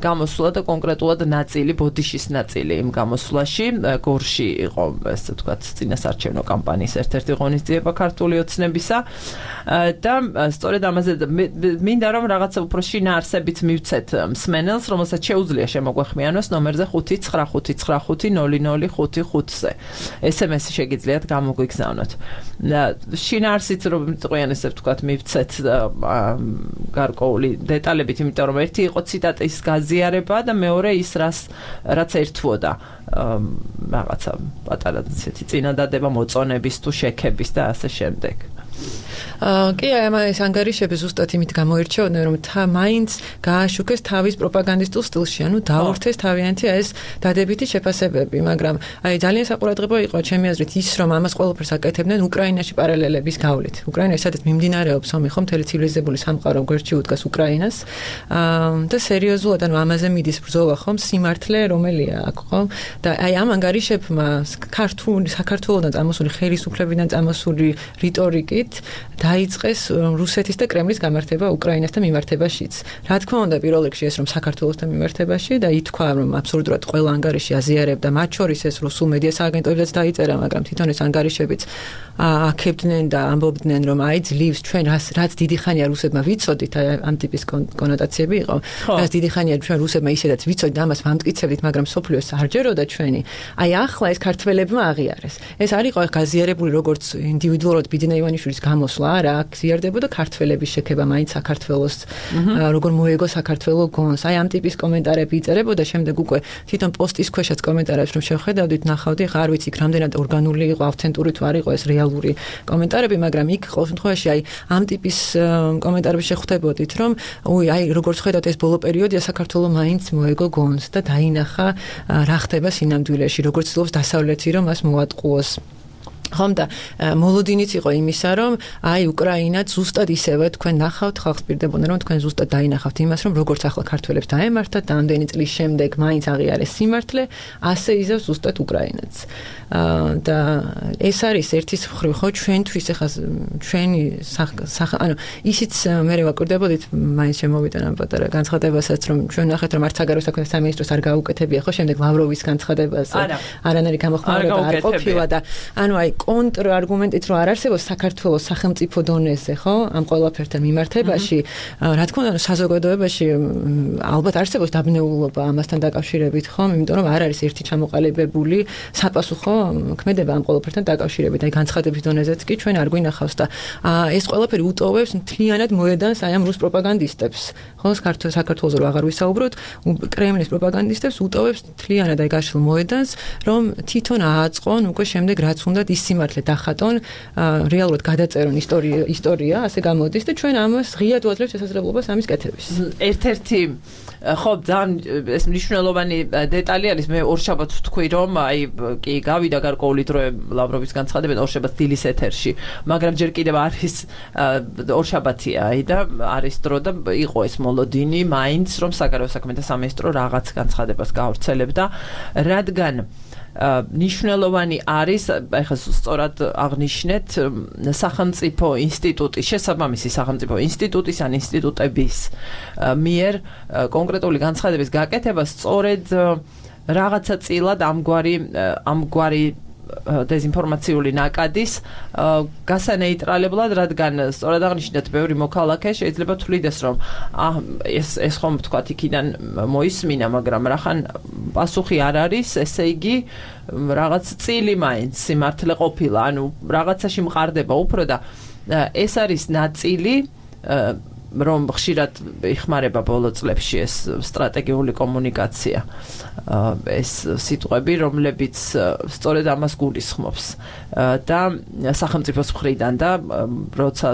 გამოსვლა და კონკრეტულად ნაწილი ბოდიშის ნაწილი იმ გამოსვლაში გორში იყო ესე ვთქვათ წინასარჩევნო კამპანიის ერთ-ერთი ღონისძიება ქართული ოცნებისა და სწორედ ამაზე მინდა რომ რაღაცა უფრო შინაარსებით მივცეთ მსმენელს რომელსაც შეუძლია შემოგვეხმიანოს ნომერზე ხუთი ცხრა ხუთი ცხრა ხუთი ნული ნული ხუთი ხუთზე ეს ემ ესი შეგიძლიათ გამოგვიგზავნოთ შინაარსით რომ მიტყვიან ესე ვთქვათ მივცეთ გარკვეული დეტალებით იმიტომ რომ ერთი იყო ციტატის გაზიარება და მეორე ის რას რაც ერთვოდა რაღაცა პატარა ცეთი წინადადება მოწონების თუ შექების და ასე შემდეგ კი ეს ანგარიშები ზუსტად იმით გამოირჩეოდნენ რომ თა მაინც გააშუქეს თავის პროპაგანდისტულ სტილში ანუ დაურთეს თავიანთი ეს დადებითი შეფასებები მაგრამ აი ძალიან საყურადღებო იყო ჩემი აზრით ის რომ ამას ყველაფერს აკეთებდნენ უკრაინაში პარალელების გავლით უკრაინაში სადაც მიმდინარეობს ომი ხო მთელი ცივილიზებული სამყარო გვერდში უდგას უკრაინას და სერიოზულად ანუ ამაზე მიდის ბრძოლა ხო სიმართლე რომელია აქ ხო და აი ამ ანგარიშებმა ქართული საქართველოსთან წამოსული ხელისუფლებიდან წამოსული რიტორიკით დაიწყეს რუსეთის და კრემლის გამართება უკრაინასთან მიმართებაშიც. Რა თქმა უნდა, პირველ რიგში ეს რომ საქართველოსთან მიმართებაში და ითქვა რომ აბსოლუტურად ყველა ანგარიში აზიარებდა, მათ შორის ეს რუსულ მედია სააგენტოებსაც დაიწერა, მაგრამ თვითონ ეს ანგარიშებიც აქებდნენ და ამბობდნენ რომ აი ძლივს ჩვენ რაც დიდი ხანია რუსებმა ვიცოდით, ამ ტიპის კონოტაციები იყო. რაც დიდი ხანია ჩვენ რუსებმა ისედაც ვიცოდით და ამას ვამტკიცებდით, მაგრამ სოფლიოს არჯეროდა ჩვენი. აი ახლა ეს ქართველებმა აღიარეს. ეს არ იყო გაზიარებული როგორც ინდივიდუალურად ბიძინა ივანიშვილის გამოსვლა არა აქ ზიარდებოდა ქართველების შექება მაინც საქართველოს როგორ მოეგო საქართველო გონს აი ამ ტიპის კომენტარები იწერებოდა შემდეგ უკვე თვითონ პოსტის ქვეშაც კომენტარებს რომ შევხედავდით ნახავდი ხა არ ვიცი რამდენად ორგანული იყო ავთენტური თუ არ იყო ეს რეალური კომენტარები მაგრამ იქ ყოველ შემთხვევაში აი ამ ტიპის კომენტარები შეხვდებოდით რომ უი აი როგორ ხედავთ ეს ბოლო პერიოდია საქართველო მაინც მოეგო გონს და დაინახა რა ხდება სინამდვილეში როგორც ცდილობს დასავლეთი რომ მას მოატყუოს ხომ და მოლოდინიც იყო იმისა რომ აი უკრაინა ზუსტად ისევე თქვენ ნახავთ ხალხს პირდებოდა რომ თქვენ ზუსტად დაინახავთ იმას რომ როგორც ახლა ქართველებს დაემართათ და ამდენი წლის შემდეგ მაინც აღიარეს სიმართლე ასე იზევს ზუსტად უკრაინაც და ეს არის ერთის მხრივ ხო ჩვენთვის ახლა ჩვენი ანუ ისიც მე ვაკვირდებოდით მაინც შემოვიდა ამ პატარა განცხადებასაც რომ ჩვენ ნახეთ რომ არც საგარეო საქმეთა სამინისტროს არ გაუკეთებია ხო შემდეგ ლავროვის განცხადებას არანაირი გამოხმაურება არ ყოფილა და ანუ აი კონტრ არგუმენტით რომ არ არსებობს საქართველოს სახელმწიფო დონეზე, ხო? ამ ყველაფერთან მიმართებაში, რა თქმა უნდა, საზოგადოებაში ალბათ არსებობს დაბნეულობა ამასთან დაკავშირებით, ხო? იმიტომ რომ არ არის ერთი ჩამოყალიბებული sapasukho ქმედება ამ ყველაფერთან დაკავშირებით. აი განცხადების დონეზეც კი ჩვენ არ გვინახავს და ეს ყველაფერი უტოვებს მთლიანად მოედანს აი ამ რუს პროპაგანდისტებს. ხო, საქართველოს რო აღარ ვისაუბროთ, კრემლის პროპაგანდისტებს უტოვებს მთლიანად აი გაშლილ მოედანს, რომ თვითონ ააწყონ უკვე შემდეგ რაც უნდა ის სიმართლე დახატონ, რეალურად გადაწერონ ისტორია, ისტორია, ასე გამოდის და ჩვენ ამას ღიად ვაძლევთ შესაძლებლობას ამის კეთების. ერთ-ერთი ხო, ძალიან ეს მნიშვნელოვანი დეტალი არის, მე ორშაბათს ვთქვი, რომ აი კი გავიდა გარკვეული დროე ლავროვის განცხადება ორშაბათს დილის ეთერში, მაგრამ ჯერ კიდევ არის ორშაბათია, აი და არის დრო და იყო ეს მოლოდინი, მაინც რომ საგარეო საქმეთა სამინისტრო რაღაც განცხადებას გაავრცელებდა, რადგან ნიშნულოვანი არის, ეხლა სწორად აღნიშნეთ, სახელმწიფო ინსტიტუტის, შესაბამისი სახელმწიფო ინსტიტუტის ან ინსტიტუტების მიერ კონკრეტული განცხადების გაკეთება სწორედ რაღაცა წილად ამგვარი ამგვარი დეზინფორმაციული ნაკადის გასანეიტრალებლად, რადგან სწორად აღნიშნეთ, ბევრი მოქალაქე შეიძლება თვლიდეს, რომ ეს ეს ხომ თქვათ იქიდან მოისმინა, მაგრამ რახან პასუხი არ არის, ესე იგი რაღაც წილი მაინც სიმართლე ყოფილა, ანუ რაღაცაში მყარდება უფრო და ეს არის ნაწილი რომ ხშირად იხმარება ბოლო წლებში ეს სტრატეგიული კომუნიკაცია ეს სიტყვები რომლებიც სწორედ ამას გულისხმობს და სახელმწიფოს მხრიდან და როცა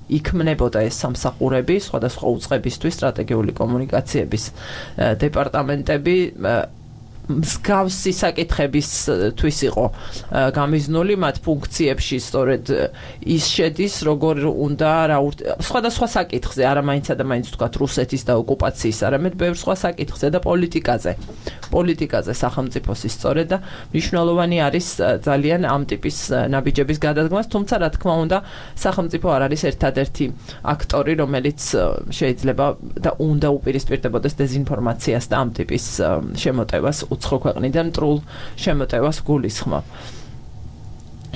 იქმნებოდა ეს სამსახურები, სხვადასხვა უწყებისთვის სტრატეგიული კომუნიკაციების დეპარტამენტები მსგავსი საკითხებისთვის იყო გამიზნული მათ ფუნქციებში სწორედ ის შედის როგორ უნდა რა სხვადასხვა საკითხზე არა მაინც და მაინც ვთქვათ რუსეთის და ოკუპაციის არამედ ბევრ სხვა საკითხზე და პოლიტიკაზე პოლიტიკაზე სახელმწიფოსის სწორედ და მნიშვნელოვანი არის ძალიან ამ ტიპის ნაბიჯების გადადგმას თუმცა რა თქმა უნდა სახელმწიფო არ არის ერთადერთი აქტორი რომელიც შეიძლება და უნდა უპირისპირდებოდეს დეზინფორმაციას და ამ ტიპის შემოტევას უცხო ქვეყნიდან მტრულ შემოტევას გულისხმობ.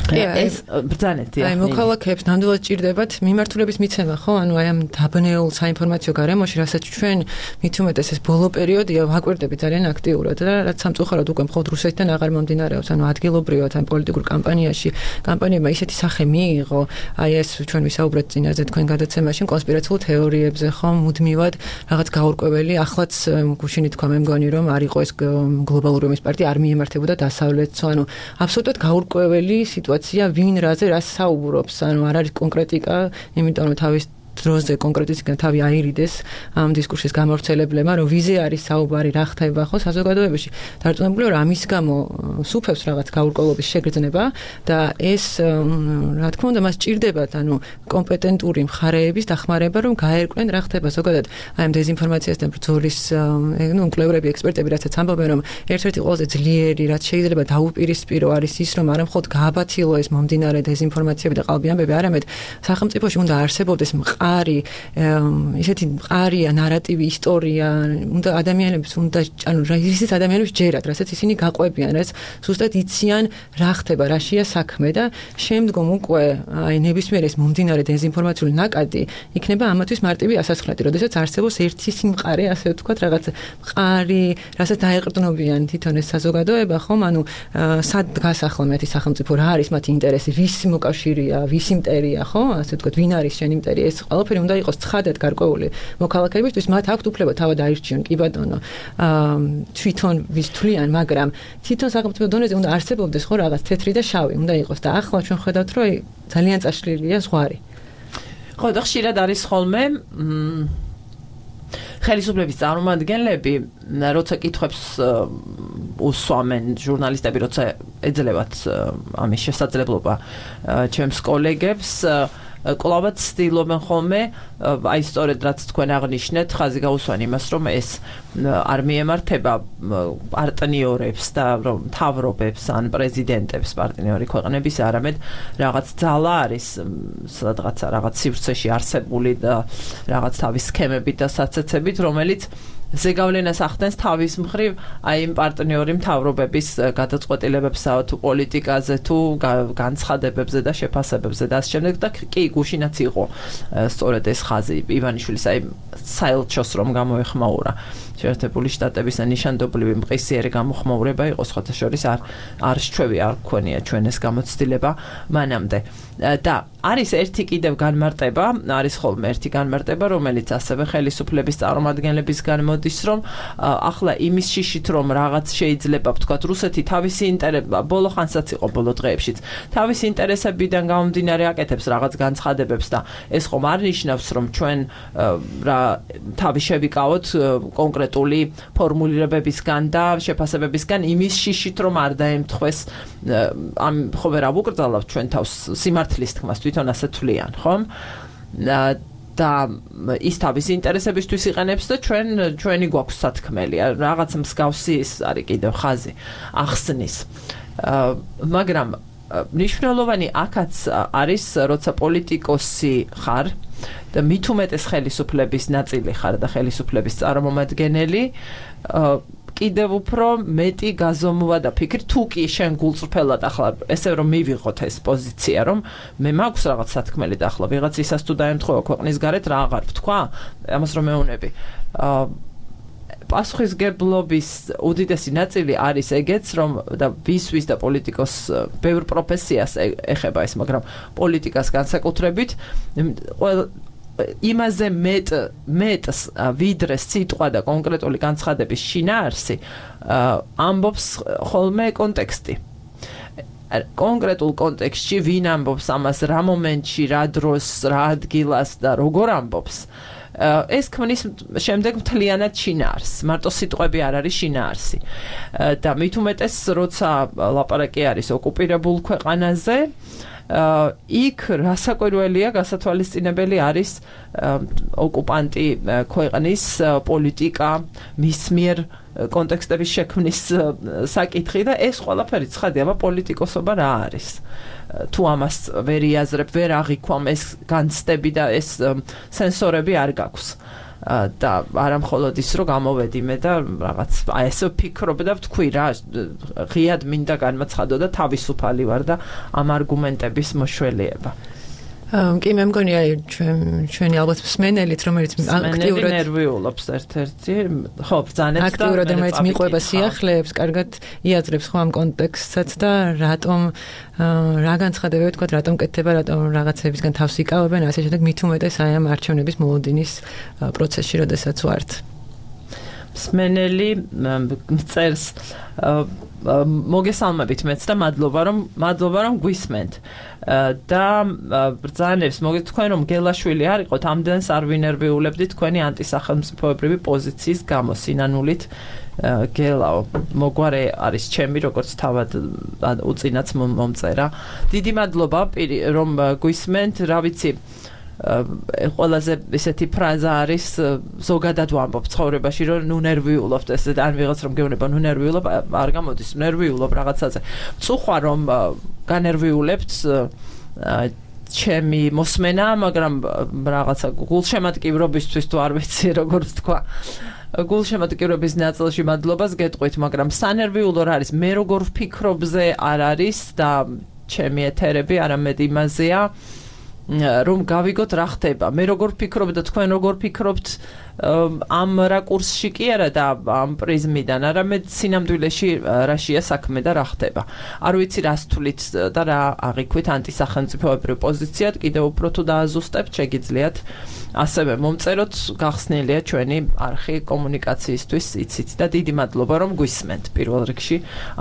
ეს ბრძანეთი აი მოქალაქეებს ნამდვილად ჭირდებათ მიმართულების მიცემა ხო ანუ აი ამ დაბნეულ საინფორმაციო გარემოში რასაც ჩვენ მით უმეტეს ეს ბოლო პერიოდია ვაკვირდებით ძალიან აქტიურად და რაც სამწუხაროდ უკვე მხოლოდ რუსეთიდან აღარ მომდინარეობს ანუ ადგილობრივად ამ პოლიტიკურ კამპანიაში კამპანიებმა ისეთი სახე მიიღო აი ეს ჩვენ ვისაუბრეთ წინაზე თქვენ გადაცემაში კონსპირაციულ თეორიებზე ხო მუდმივად რაღაც გაურკვეველი ახლაც გუშინი თქვა მე მგონი რომ არ იყო ეს გლობალური ომის პარტია არ მიემართებოდა დასავლეთს ანუ აბსოლუტურად გაურკვეველი სიტუაცია ვინ რაზე რას საუბრობს ანუ არ არის კონკრეტიკა იმიტომ რომ თავის დროზე კონკრეტიკიდან თავი აირიდეს ამ დისკურსის გამავრცელებლებმა რომ ვიზე არის საუბარი რა ხდება ხო საზოგადოებაში დარწმუნებული რომ ამის გამო სუფევს რაღაც გაურკვევლობის შეგრძნება და ეს რა თქმა უნდა მას ჭირდებათ ანუ კომპეტენტური მხარეების დახმარება რომ გაერკვნენ რა ხდება ზოგადად აი ამ დეზინფორმაციასთან ბრძოლის ნუ მკვლევრები ექსპერტები რასაც ამბობენ რომ ერთ-ერთი ყველაზე ძლიერი რაც შეიძლება დაუპირისპირო არის ის რომ არა მხოლოდ გააბათილო ეს მომდინარე დეზინფორმაციები და ყალბი ამბები არამედ სახელმწიფოში უნდა არსებობდეს მყარი ისეთი მყარია ნარატივი ისტორია უნდა ადამიანებს უნდა ანუ ისეთ ადამიანებს ჯერათ რასაც ისინი გაყვებიან რაც ზუსტად იციან რა ხდება რაშია საქმე და შემდგომ უკვე აი ნებისმიერ ეს მომდინარე დეზინფორმაციული ნაკადი იქნება ამათვის მარტივი ასასხლელი როდესაც არსებობს ერთი სიმყარე ასე ვთქვათ რაღაც მყარი რასაც დაეყრდნობიან თვითონ ეს საზოგადოება ხომ ანუ სად დგას ახლა მათი სახელმწიფო რა არის მათი ინტერესი ვის მოკავშირეა ვის იმპერია ხო ასე ვთქვათ ვინ არის შენ იმპერია ეს ყველაფერი უნდა იყოს ცხადად გარკვეული მოქალაქეებისთვის მათ აქვთ უფლება თავად აირჩიონ კი ბატონო თვითონ ვის თვლიან მაგრამ თვითონ სახელმწიფო დონეზე უნდა არსებობდეს ხო რაღაც თეთრი და შავი უნდა იყოს და ახლა ჩვენ ხედავთ რომ ძალიან წაშლილია ზღვარი ხო და ხშირად არის ხოლმე ხელისუფლების წარმომადგენლები როცა კითხვებს უსვამენ ჟურნალისტები როცა ეძლევათ ამის შესაძლებლობა ჩემს კოლეგებს კლავად ცდილობენ ხოლმე აი სწორედ რაც თქვენ აღნიშნეთ ხაზი გაუსვან იმას რომ ეს არ მიემართება პარტნიორებს და რომ თავრობებს ან პრეზიდენტებს პარტნიორი ქვეყნების არამედ რაღაც ძალა არის სადღაცა რაღაც სივრცეში არსებული და რაღაც თავის სქემებით და საცეცებით რომელიც ზეგავლენას ახდენს თავის მხრივ აი იმ პარტნიორი მთავრობების გადაწყვეტილებებსა თუ პოლიტიკაზე თუ განცხადებებზე და შეფასებებზე და ამ შემდეგ და კი გუშინაც იყო სწორედ ეს ხაზი ივანიშვილის აი საელჩოს რომ გამოეხმაურა შეერთებული შტატების ნიშანდობლივი მყისიერი გამოხმაურება იყო სხვათა შორის არ არ შეჩვევი არ გქონია ჩვენ ეს გამოცდილება მანამდე და არის ერთი კიდევ განმარტება არის ხოლმე ერთი განმარტება რომელიც ასევე ხელისუფლების წარმომადგენლებისგან მოდის რომ ახლა იმის შიშით რომ რაღაც შეიძლება ვთქვათ რუსეთი თავისი ინტერესები ბოლო ხანსაც იყო ბოლო დღეებშიც თავისი ინტერესებიდან გამომდინარე აკეთებს რაღაც განცხადებებს და ეს ხომ არ ნიშნავს რომ ჩვენ რა თავი შევიკავოთ კონკრეტული ფორმულირებებისგან და შეფასებებისგან იმის შიშით რომ არ დაემთხვეს ამ ხო ვერ ავუკრძალავთ ჩვენ თავს სიმართლის თქმას თვითონ ასე თვლიან ხომ და ის თავის ინტერესებისთვის იყენებს და ჩვენ ჩვენი გვაქვს სათქმელი რაღაც მსგავსი ის არის კიდევ ხაზი ახსნის მაგრამ მნიშვნელოვანი აქაც არის როცა პოლიტიკოსი ხარ და მით უმეტეს ხელისუფლების ნაწილი ხარ და ხელისუფლების წარმომადგენელი კიდევ უფრო მეტი გაზომვა და ფიქრი თუ კი შენ გულწრფელად ახლა ესე რომ მივიღოთ ეს პოზიცია რომ მე მაქვს რაღაც სათქმელი და ახლა ვიღაც ისას თუ დაემთხვევა ქვეყნის გარეთ რა აღარ ვთქვა ამას რომ მეუნები პასუხისგებლობის უდიდესი ნაწილი არის ეგეც რომ და ვისვის და პოლიტიკოს ბევრ პროფესიას ეხება ეს მაგრამ პოლიტიკას განსაკუთრებით იმაზე მეტ მეტს ვიდრე სიტყვა და კონკრეტული განცხადების შინაარსი ამბობს ხოლმე კონტექსტი კონკრეტულ კონტექსტში ვინ ამბობს ამას, რა მომენტში, რა დროს, რა ადგილას და როგორ ამბობს. ეს ქმნის შემდეგ მთლიანად შინაარსს, მარტო სიტყვები არ არის შინაარსი. და მით უმეტეს, როცა ლაპარაკი არის ოკუპირებულ ქვეყანაზე, იქ რასაკვირველია, გასათვალისწინებელი არის ოკუპანტი ქვეყნის პოლიტიკა, მის მიერ კონტექსტების შექმნის საკითხი და ეს ყველაფერი ცხადია, აბა პოლიტიკოსობა რა არის. თუ ამას ვერ იაზრებ, ვერ აღიქვამ ეს განცდები და ეს სენსორები არ გაქვს. და არა მხოლოდ ის რომ გამოვედი მე და რაღაც აი ესე ვფიქრობ და ვთქვი რა ღიად მინდა განმაცხადო და თავისუფალი ვარ და ამ არგუმენტების მოშველიება. კი მე მგონია ჩვენ ჩვენი ალბათ მსმენელით რომელიც აქტიურად ნერვიულობს ერთ-ერთი ხო ბრძანეთ და აქტიურად რომელიც მიყვება სიახლეებს კარგად იაზრებს ხო ამ კონტექსტსაც და რატომ რა განცხადებები თქვა რატომ კეთდება რატომ რაღაცებისგან თავს იკავებენ ასე შემდეგ მით უმეტეს აი ამ არჩევნების მოლოდინის პროცესში როდესაც ვართ მსმენელი წერს მოგესალმებით მეც და მადლობა რომ მადლობა რომ გვისმენთ და ბრძანებს მოგეთ თქვენ რომ გელაშვილი არ იყოთ ამდენს არ ვინერვიულებდი თქვენი ანტისახელმწიფოებრივი პოზიციის გამო სინანულით გელაო მოგვარე არის ჩემი როგორც თავად უწინაც მომწერა დიდი მადლობა რომ გვისმენთ რა ვიცი ყველაზე ესეთი ფრაზა არის ზოგადად ვამბობ ცხოვრებაში რომ ნუ ნერვიულობთ ესე ან ვიღაც რომ გეუბნება ნუ ნერვიულობ არ გამოდის ნერვიულობ რაღაცაზე წუხვა რომ განერვიულებთ ჩემი მოსმენა მაგრამ რაღაცა გულშემატკივრობისთვის თუ არ ვიცი როგორ თქვა გულშემატკივრობის ნაწილში მადლობას გეტყვით მაგრამ სანერვიულო რა არის მე როგორ ვფიქრობზე არ არის და ჩემი ეთერები არამედ იმაზეა რომ გავიგოთ რა ხდება მე როგორ ვფიქრობ და თქვენ როგორ ფიქრობთ ამ რაკურსში კი არა და ამ პრიზმიდან არამედ სინამდვილეში რაშია საქმე და რა ხდება არ ვიცი რას თვლით და რა აღიქვით ანტისახელმწიფოებრივ პოზიციად კიდევ უფრო თუ დააზუსტებთ შეგიძლიათ ასევე მომწეროთ გახსნილია ჩვენი არხი კომუნიკაციისთვის იცით და დიდი მადლობა რომ გვისმენთ პირველ რიგში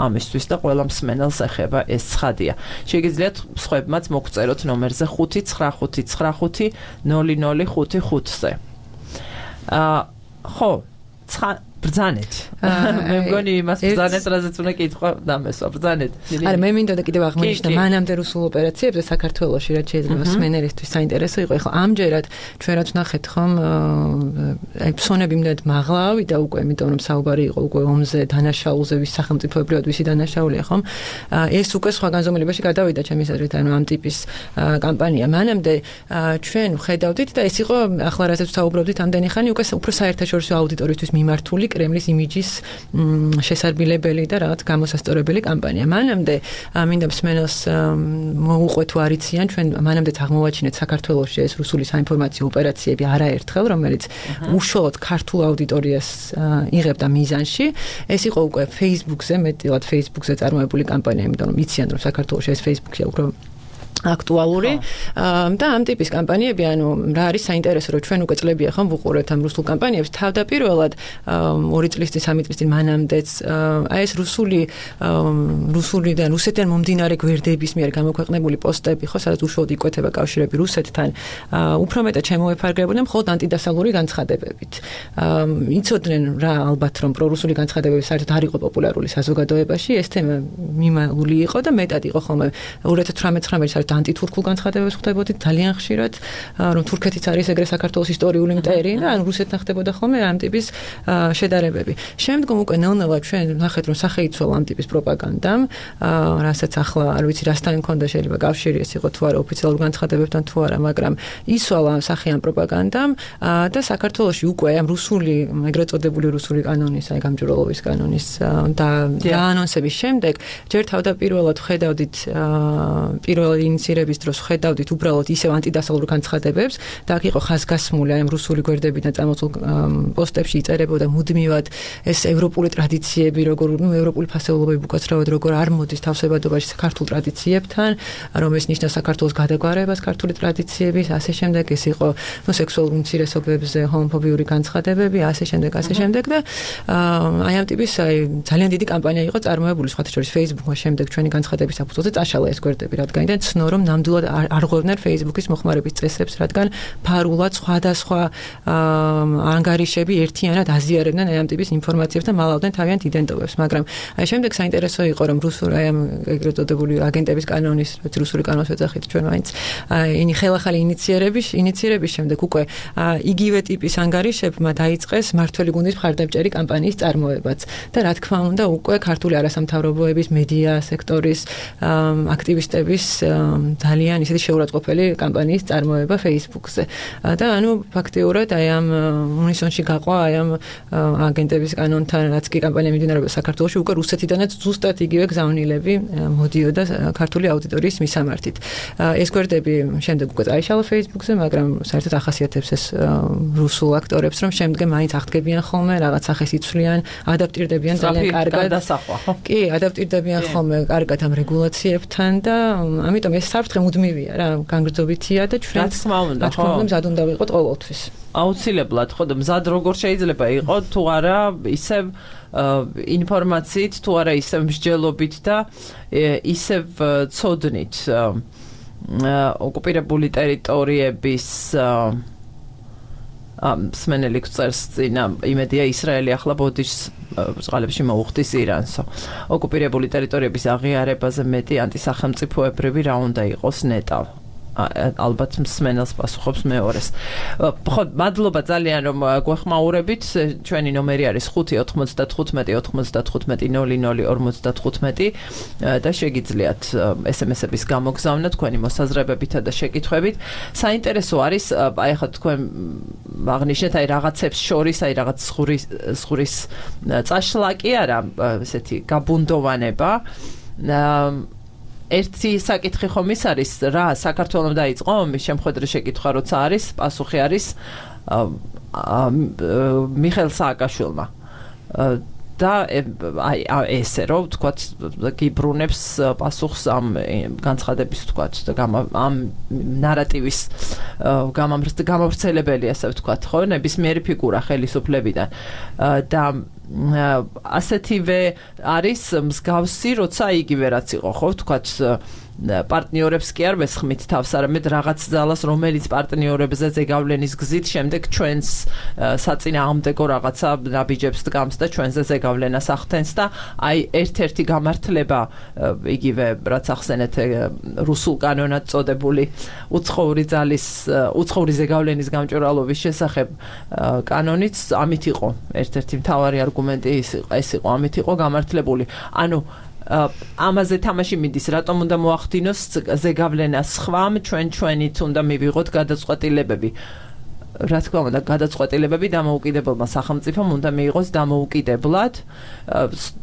ამისთვის და ყველა მსმენელს ეხება ეს ცხადია შეგიძლიათ სხვებმაც მოგწეროთ ნომერზე ხუთი ცხრა ხუთი ცხრა ხუთი ნული ნული ხუთი ხუთზე აა ხო ბრძანეთ მე მგონი იმას ბრძანეთ რაზეც უნდა კითხვა დამესვა ბრძანეთ არა მე მინდოდა კიდევ აღნიშნა მანამდე რუსულ ოპერაციებზე საქართველოში რაც შეიძლება მსმენელისთვის საინტერესო იყო ხო ამჯერად ჩვენ რაც ნახეთ ხომ აი ფსონები იმდენად მაღლა ავიდა უკვე იმიტომ რომ საუბარი იყო უკვე ომზე დანაშაულზე ვის სახელმწიფოებრივად ვისი დანაშაულია ხომ ეს უკვე სხვა განზომილებაში გადავიდა ჩემის აზრით ანუ ამ ტიპის კამპანია მანამდე ჩვენ ხედავდით და ეს იყო ახლა რასაც საუბრობდით ამდენი ხანი უკვე უფრო საერთაშორისო აუდიტორიისთვის მიმართული კრემლის იმიჯის შესარბილებელი და რაღაც გამოსასწორებელი კამპანია. მანამდე მინდა მსმენელს მოუყვე თუ არ იციან, ჩვენ მანამდეც აღმოვაჩინეთ საქართველოში ეს რუსული საინფორმაციო ოპერაციები არაერთხელ, რომელიც უშუალოდ ქართულ აუდიტორიას იღებდა მიზანში. ეს იყო უკვე Facebook-ზე, მეტად Facebook-ზე წარმოებული კამპანია, იმიტომ რომ იციან რომ საქართველოში ეს Facebook-ია უფრო აქტუალური და ამ ტიპის კამპანიები ანუ რა არის საინტერესო რომ ჩვენ უკვე წლებია ხომ ვუყურებთ ამ რუსულ კამპანიებს თავდაპირველად ორი წლის წინ სამი წლის წინ მანამდეც აი ეს რუსული რუსულიდან რუსეთიდან მომდინარე გვერდების მიერ გამოქვეყნებული პოსტები ხო სადაც უშუალოდ იკვეთება კავშირები რუსეთთან უფრო მეტად შემოეფარგლებოდნენ მხოლოდ ანტიდასალური განცხადებებით იცოდნენ რა ალბათ რომ პრორუსული განცხადებები საერთოდ არ იყო პოპულარული საზოგადოებაში ეს თემა მიმალული იყო და მეტად იყო ხოლმე ორი ათას თვრამეტ-ცხრამეტ საერთოდ ანტითურქულ განცხადებებს ხვდებოდით ძალიან ხშირად რომ თურქეთიც არის ეგრე საქართველოს ისტორიული მტერი და ან რუსეთთან ხდებოდა ხოლმე ამ ტიპის შედარებები. შემდგომ უკვე ნელ-ნელა ჩვენ ნახეთ რომ სახე იცვალა ამ ტიპის პროპაგანდამ, რასაც ახლა არ ვიცი რასთან მქონდა შეიძლება კავშირი ეს იყო თუ არა ოფიციალურ განცხადებებთან თუ არა, მაგრამ იცვალა სახე ამ პროპაგანდამ და საქართველოში უკვე ამ რუსული ეგრეთ წოდებული რუსული კანონის, აი გამჭვირვალობის კანონის და დაანონსების შემდეგ ჯერ თავდაპირველად ხედავდით პირველი ინიცირების დროს ხედავდით უბრალოდ ისევ ანტიდასავლურ განცხადებებს და აქ იყო ხაზგასმული აი ამ რუსული გვერდებიდან წამოსულ პოსტებში იწერებოდა მუდმივად ეს ევროპული ტრადიციები როგორ ნუ ევროპული ფასეულობები უკაცრავად როგორ არ მოდის თავსებადობაში ქართულ ტრადიციებთან რომ ეს ნიშნავს საქართველოს გადაგვარებას ქართული ტრადიციების ასე შემდეგ ეს იყო ნუ სექსუალურ უმცირესობებზე ჰომოფობიური განცხადებები ასე შემდეგ ასე შემდეგ და აი ამ ტიპის აი ძალიან დიდი კამპანია იყო წარმოებული სხვათა შორის Facebook-მა შემდეგ ჩვენი განცხადების საფუძველზე წაშალა ეს გვერდები რადგან იდან ცნო რომ ნამდვილად არ ღვევდნენ Facebook-ის მოხმარების წესებს რადგან ფარულად სხვადასხვა ანგარიშები ერთიანად აზიარებდნენ აი ამ ტიპის ინფორმაციებს და მალავდნენ თავიანთ იდენტობებს მაგრამ აი შემდეგ საინტერესო იყო რომ რუსული აი ამ ეგრეთ წოდებული აგენტების კანონის რუსული კანონის ეძახით ჩვენ მაინც აი ხელახალი ინიციერების ინიციერების შემდეგ უკვე იგივე ტიპის ანგარიშებმა დაიწყეს მართველი გუნდის მხარდამჭერი კამპანიის წარმოებაც და რა თქმა უნდა უკვე ქართული არასამთავრობოების მედია სექტორის აქტივისტების ძალიან ისეთი შეურაცხყოფელი კამპანიის წარმოება Facebook-ზე და ანუ ფაქტიურად აი ამ უნისონში გაყვა აი ამ აგენტების კანონთან რაც კი კამპანია მიმდინარეობდა საქართველოში უკვე რუსეთიდანაც ზუსტად იგივე გზავნილები მოდიოდა ქართული აუდიტორიის მისამართით ეს გვერდები შემდეგ უკვე წაიშალა Facebook-ზე მაგრამ საერთოდ ახასიათებს ეს რუსულ აქტორებს რომ შემდგომ მაინც აღდგებიან ხოლმე რაღაც სახეს იცვლიან ადაპტირდებიან ძალიან კარგად კი ადაპტირდებიან ხოლმე კარგად ამ რეგულაციებთან და ამიტომ ეს საფრთხე მუდმივია რა განგრძობითია და ჩვენ თქმა უნდა ხო მზად უნდა ვიყოთ ყოველთვის აუცილებლად ხო და მზად როგორ შეიძლება იყოს თუ არა ისევ ინფორმაციით თუ არა ისევ მსჯელობით და ისევ ცოდნით ოკუპირებული ტერიტორიების სმენელი წერს წინა იმედია ისრაელი ახლა ბოდიშს წყალებში მოუხდის ირანსო ოკუპირებული ტერიტორიების აღიარებაზე მეტი ანტისახელმწიფოებრივი რა უნდა იყოს ნეტავ ალბათ მსმენელს პასუხობს მეორეს. ხო, მადლობა ძალიან რომ გვეხმაურებით. ჩვენი ნომერი არის ხუთი ოთხმოცდათხუთმეტი ოთხმოცდათხუთმეტი ნული ნული ორმოცდათხუთმეტი და შეგიძლიათ ესემესების გამოგზავნა თქვენი მოსაზრებებითა და შეკითხვებით. საინტერესო არის, აი ახლა თქვენ აღნიშნეთ აი რაღაცებს შორის, აი რაღაც ზღურის ზღურის წაშლა კი არა, ესეთი გაბუნდოვანება. ერთი საკითხი ხომ ის არის რა საქართველოს დაიწყო ომის შემხედრე შეკითხვა როცა არის პასუხი არის მიხეილ სააკაშვილმა და აი ესე რომ ვთქვათ გიბრუნებს პასუხს ამ განცხადების ვთქვათ და ამ ნარატივის გამავრცელებელი ასე ვთქვათ ხო ნებისმიერი ფიგურა ხელისუფლებიდან და ასეთივე არის მსგავსი როცა იგივე რაც იყო ხო ვთქვათ პარტნიორებს კი არ ვესხმით თავს, არამედ რაღაც ძალას, რომელიც პარტნიორებზე ზეგავლენის გზით შემდეგ ჩვენს საწინააღმდეგო რაღაცა ნაბიჯებს დგამს და ჩვენზე ზეგავლენას ახდენს და აი ერთ-ერთი გამართლება იგივე რაც ახსენეთ რუსულ კანონად წოდებული უცხოური ძალის უცხოური ზეგავლენის გამჭვირვალობის შესახებ კანონიც ამით იყო ერთ-ერთი მთავარი არგუმენტი ეს იყო ამით იყო გამართლებული. ანუ ამაზე თამაში მიდის, რატომ უნდა მოახდინოს ზეგავლენას სხვამ, ჩვენ ჩვენით უნდა მივიღოთ გადაწყვეტილებები. რა თქმა უნდა, გადაწყვეტილებები დამოუკიდებელმა სახელმწიფომ უნდა მიიღოს დამოუკიდებლად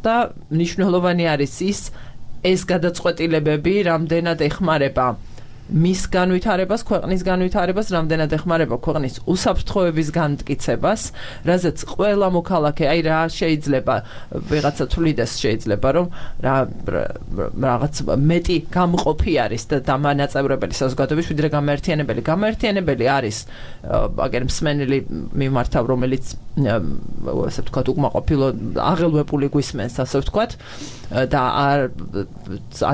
და მნიშვნელოვანი არის ის, ეს გადაწყვეტილებები რამდენად ეხმარება მის განვითარებას, ქვეყნის განვითარებას, რამდენად ეხმარება ქვეყნის უსაფრთხოების განმტკიცებას, რაზეც ყველა მოქალაქე, აი რა შეიძლება ვიღაცა თვლიდეს შეიძლება რომ რა რაღაც მეტი გამყოფი არის და დამანაწევრებელი საზოგადოების ვიდრე გამაერთიანებელი. გამაერთიანებელი არის აგერ მსმენელი მიმართავ, რომელიც ასე ვთქვათ, უკმაყოფილო აღელვებული გვისმენს, ასე ვთქვათ, და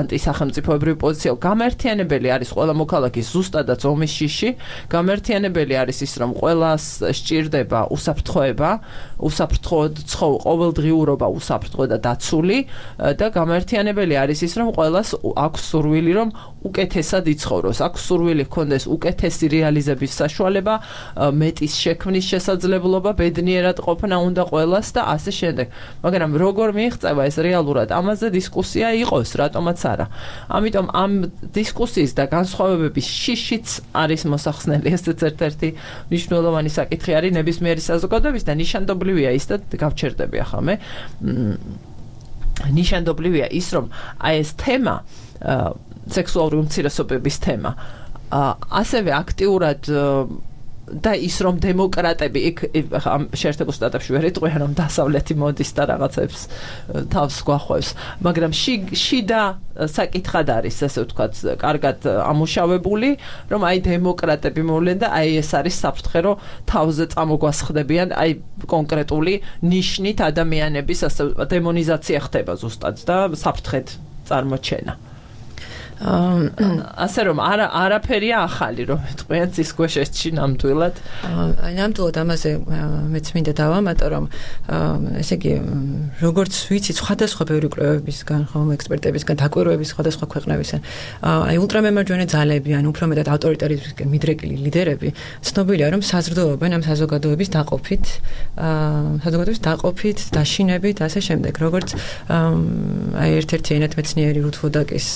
ანტისახელმწიფოებრივი პოზიცია. გამაერთიანებელი არის ყველა მოქალაქის ზუსტადაც ომის შიში. გამაერთიანებელი არის ის, რომ ყველას სჭირდება უსაფრთხოება, უსაფრთხოდ ცხოვრება, ყოველდღიურობა უსაფრთხო და დაცული და გამაერთიანებელი არის ის, რომ ყველას აქვს სურვილი, რომ უკეთესად იცხოვროს, აქვს სურვილი ჰქონდეს უკეთესი რეალიზების საშუალება, მეტის შექმნის შესაძლებლობა, ბედნიერად ყოფნა უნდა ყველას და ასე შემდეგ. მაგრამ როგორ მიიღწევა ეს რეალურად? ამაზე დისკუსია იყოს, რატომაც არა. ამიტომ ამ დისკუსიის და განსხვავებების შიშიც არის მოსახსნელი. ესეც ერთ-ერთი მნიშვნელოვანი საკითხი არის ნებისმიერი საზოგადოების და ნიშანდობლივია ის და გავჩერდები ახლა მე. ნიშანდობლივია ის, რომ აი ეს თემა სექსუალური უმცირესობების თემა. ასევე აქტიურად და ის რომ დემოკრატები იქ შეერთებულ შტატებში ვერ იტყვიან რომ დასავლეთი მოდის და რაღაცებს თავს გვახვევს, მაგრამ შიდა საკითხად არის, ასე ვთქვათ, კარგად ამუშავებული, რომ აი დემოკრატები მოვლენ და აი ეს არის საფრთხე, რომ თავზე წამოგვასხდებიან აი კონკრეტული ნიშნით ადამიანების ასე დემონიზაცია ხდება ზუსტად და საფრთხედ წარმოჩენა. ასე რომ არა არაფერია ახალი რომ თქვენ ის გვეშეთში ნამდვილად აი ნამდვილად ამაზე მეც მინდა დავამატო რომ ესე იგი როგორც ვიცი სხვადასხვა ბევრი კვლევებისგან ხომ ექსპერტებისგან დაკვირვების სხვადასხვა ქვეყნებისგან აი ულტრამემარჯვენე ძალები ან უფრო მეტად ავტორიტარიზმისგან მიდრეკილი ლიდერები ცნობილია რომ საზრდოობენ ამ საზოგადოების დაყოფით საზოგადოების დაყოფით დაშინებით ასე შემდეგ როგორც აი ერთ-ერთი ენათმეცნიერი რութ ვოდაკის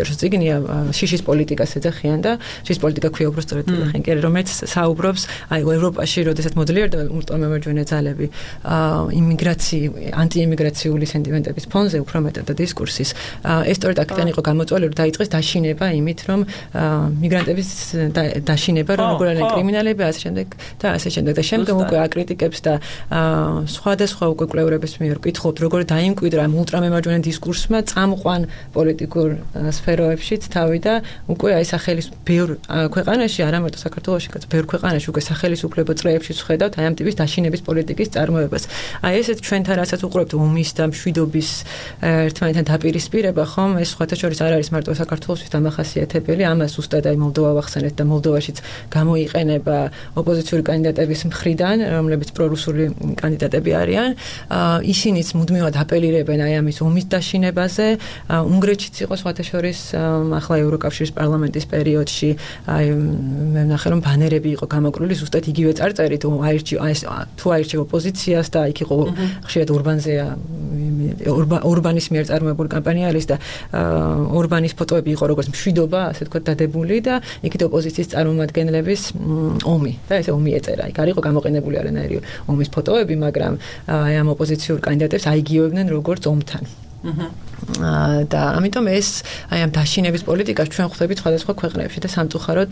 საინტერესო წიგნია შიშის პოლიტიკას ეძახიან და შიშის პოლიტიკა ქვია უბრალოდ ეძახიან კი რომელიც საუბრობს აი ევროპაში როდესაც მოძლიერდა ულტრამემარჯვენე ძალები იმიგრაცია ანტიიმიგრაციული სენტიმენტების ფონზე უფრო მეტად და დისკურსის ეს სწორედ აქედან იყო გამოწვეული რომ დაიწყეს დაშინება იმით რომ მიგრანტების დაშინება რომ როგორ არიან კრიმინალები ასე შემდეგ და ასე შემდეგ და შემდგომ უკვე აკრიტიკებს და სხვადასხვა უკვე კვლევრების მიერ კითხულობთ როგორ დაიმკვიდრა ულტრამემარჯვენე დისკურსმა წამყვან პოლიტიკურ სფეროებშიც თავი და უკვე აი სახელის ბევრ ქვეყანაში არა მარტო საქართველოში, ბევრ ქვეყანაში უკვე სახელისუფლებო წრეებში ვხედავთ აი ამ ტიპის დაშინების პოლიტიკის წარმოებას. აი ესეც ჩვენთან რასაც უყურებთ ომის და მშვიდობის ერთმანეთთან დაპირისპირება, ხომ ეს სხვათა შორის არ არის მარტო საქართველოსთვის დამახასიათებელი, ამას ზუსტად აი მოლდოვა ვახსენეთ და მოლდოვაშიც გამოიყენება ოპოზიციური კანდიდატების მხრიდან, რომლებიც პრორუსული კანდიდატები არიან. ისინიც მუდმივად აპელირებენ აი ამის ომის დაშინებაზე. უნგრეთშიც იყო სხვათა შორის ახლა ევროკავშირის პარლამენტის პერიოდში აი მე ვნახე რომ ბანერები იყო გამოკვლილი ზუსტად იგივე წარწერით აირჩი თუ აირჩი ოპოზიციას და იქ იყო ხშირად ორბანზე ორბანის მიერ წარმოებული კამპანია არის და ორბანის ფოტოები იყო როგორც მშვიდობა ასე თქვა დადებული და იქით ოპოზიციის წარმომადგენლების ომი და ესე ომი ეწერა იქ არ იყო გამოყენებული არანაირი ომის ფოტოები მაგრამ აი ამ ოპოზიციურ კანდიდატებს აიგივებდნენ როგორც ომთან და ამიტომ ეს აი ამ დაშინების პოლიტიკას ჩვენ ხვდებით სხვადასხვა ქვეყნებში და სამწუხაროდ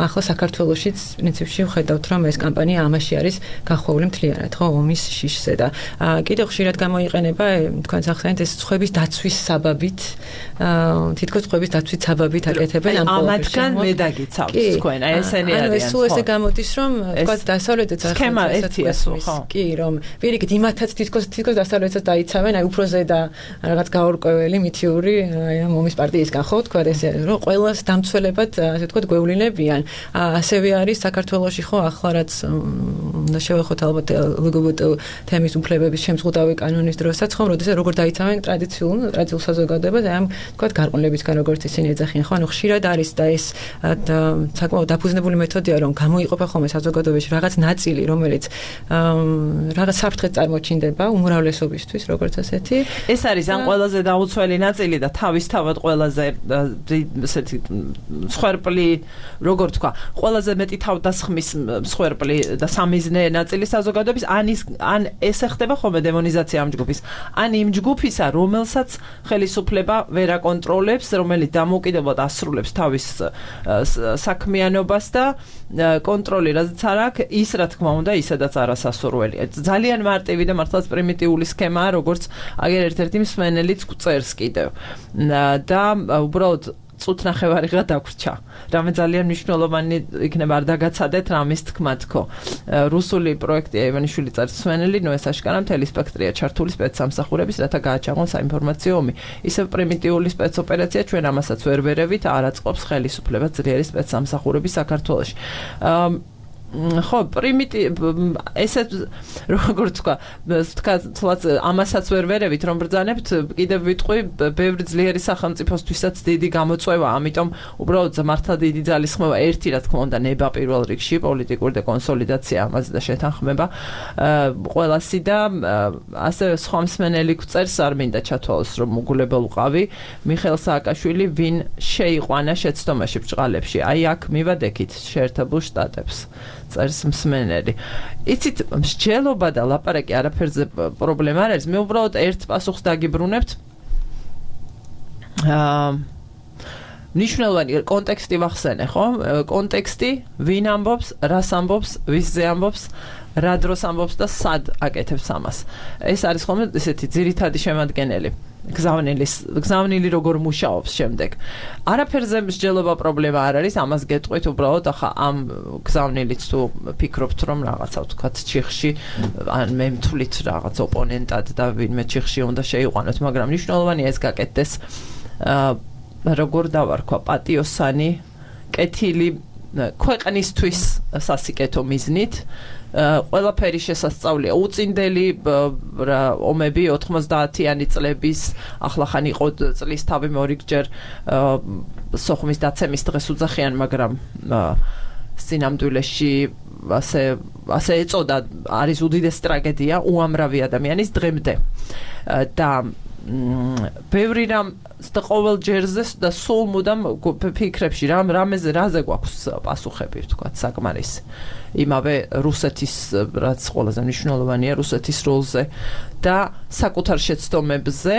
ახლა საქართველოშიც პრინციპში ვხედავთ რომ ეს კამპანია ამაში არის გახვეული მთლიანად ხო ომის შიშზე და კიდევ ხშირად გამოიყენება თქვენ ახსენეთ ეს ცხების დაცვის საბაბით თითქოს ცხების დაცვის საბაბით აკეთებენ ამ ამათგან მე დაგიცავთ თქვენ აი ესენი არიან ანუ ეს სულ ესე გამოდის რომ თქვა დასავლეთიც ახლა ერთია სულ ხო კი რომ პირიქით იმათაც თითქოს თითქოს დასავლეთსაც დაიცავენ აი უფრო ზედა რაღაც გაურკვეველი მითიური აი ამ ომის პარტიისგან ხო თქვა ესე რომ ყველას დამცველებად ასე თქვა გვევლინებიან ასევე არის საქართველოში ხო ახლა რაც უნდა შევეხოთ ალბათ ლგბტ თემის უფლებების შემზღუდავი კანონის დროსაც ხო როდესაც როგორ დაიცავენ ტრადიციულ ტრადიციულ საზოგადოებას აი ამ თქვა გარყვნებისგან როგორც ისინი ეძახიან ხო ანუ ხშირად არის და ეს საკმაოდ დაფუძნებული მეთოდია რომ გამოიყოფა ხოლმე საზოგადოებაში რაღაც ნაწილი რომელიც რაღაც საფრთხეს წარმოჩინდება უმრავლესობისთვის როგორც ასეთი ეს არის ან ყველაზე დაუცველი ნაწილი და თავისთავად ყველაზე ესეთი მსხვერპლი როგორ თქვა ყველაზე მეტი თავდასხმის მსხვერპლი და სამიზნე ნაწილი საზოგადოების ან ის ან ესე ხდება ხოლმე დემონიზაცია ამ ჯგუფის ან იმ ჯგუფისა რომელსაც ხელისუფლება ვერ აკონტროლებს რომელიც დამოუკიდებლად ასრულებს თავის საქმიანობას და კონტროლი რაც არ აქვს ის რა თქმა უნდა ისედაც არასასურველია ძალიან მარტივი და მართლაც პრიმიტიული სქემაა როგორც აგერ ერთ-ერთი მსმენელიც წერს კიდევ და უბრალოდ წუთნახევარი ღა დაგვრჩა. რამე ძალიან მნიშვნელოვანი იქნება არ დაგაცადეთ რამის თქმა თქო. რუსული პროექტია ივანიშვილი წერს მსმენელი, ნუ ეს აშკარა მთელი სპექტრია ჩართული სპეცსამსახურების, რათა გააჩაღონ საინფორმაციო ომი. ისევ პრიმიტიული სპეცოპერაცია ჩვენ ამასაც ვერ ვერევით, არ აწყობს ხელისუფლება ძლიერი სპეცსამსახურების საქართველოში. ხო პრიმიტი ესე როგორ თქვა თქვა ამასაც ვერ ვერევით რომ ბრძანებთ კიდევ ვიტყვი ბევრი ძლიერი სახელმწიფოსთვისაც დიდი გამოწვევა ამიტომ უბრალოდ მართლა დიდი ძალისხმევა ერთი რა თქმა უნდა ნება პირველ რიგში პოლიტიკური და კონსოლიდაცია ამაზე და შეთანხმება ყველასი და ასე სხვა მსმენელი გვწერს არ მინდა ჩათვალოს რომ უგულებელყავი მიხეილ სააკაშვილი ვინ შეიყვანა შეცდომაში ბჭყალებში აი აქ მივადექით შეერთებულ შტატებს წერს მსმენელი. იცით, მსჯელობა და ლაპარაკი არაფერზე პრობლემა არ არის. მე უბრალოდ ერთ პასუხს დაგიბრუნებთ. აა ნიშნულოვანი კონტექსტი ვახსენე, ხო? კონტექსტი, ვინ ამბობს, რას ამბობს, ვისზე ამბობს, რა დროს ამბობს და სად აკეთებს ამას. ეს არის ხოლმე ესეთი ძირითადი შემადგენელი. გზავნილის, გზავნილი როგორ მუშაობს შემდეგ. არაფერზე მსჯელობა პრობლემა არ არის, ამას გეტყვით უბრალოდ, ახლა ამ გზავნილიც თუ ფიქრობთ, რომ რაღაცა ვთქვათ, ჩიხში ან მე მთვლით რაღაც ოპონენტად და ვინმე ჩიხში უნდა შეიყვანოთ, მაგრამ მნიშვნელოვანია ეს გაკეთდეს როგორ დავარქვა პატიოსანი, კეთილი ქვეყნისთვის სასიკეთო მიზნით. ყველაფერი შესასწავლია. უწინდელი ომები ოთხმოცდაათიანი წლების ახლა ხან იყო წლის თავი მორიგჯერ სოხუმის დაცემის დღეს უძახიან, მაგრამ სინამდვილეში ასე ასე ეწოდა, არის უდიდესი ტრაგედია უამრავი ადამიანის დღემდე. და ბევრი რამ და ყოველ ჯერზე და სულ მუდამ ფიქრებში რამ რამეზე რაზე გვაქვს პასუხები, ვთქვათ, საკმარისი. იმავე რუსეთის, რაც ყველაზე მნიშვნელოვანია, რუსეთის როლზე და საკუთარ შეცდომებზე,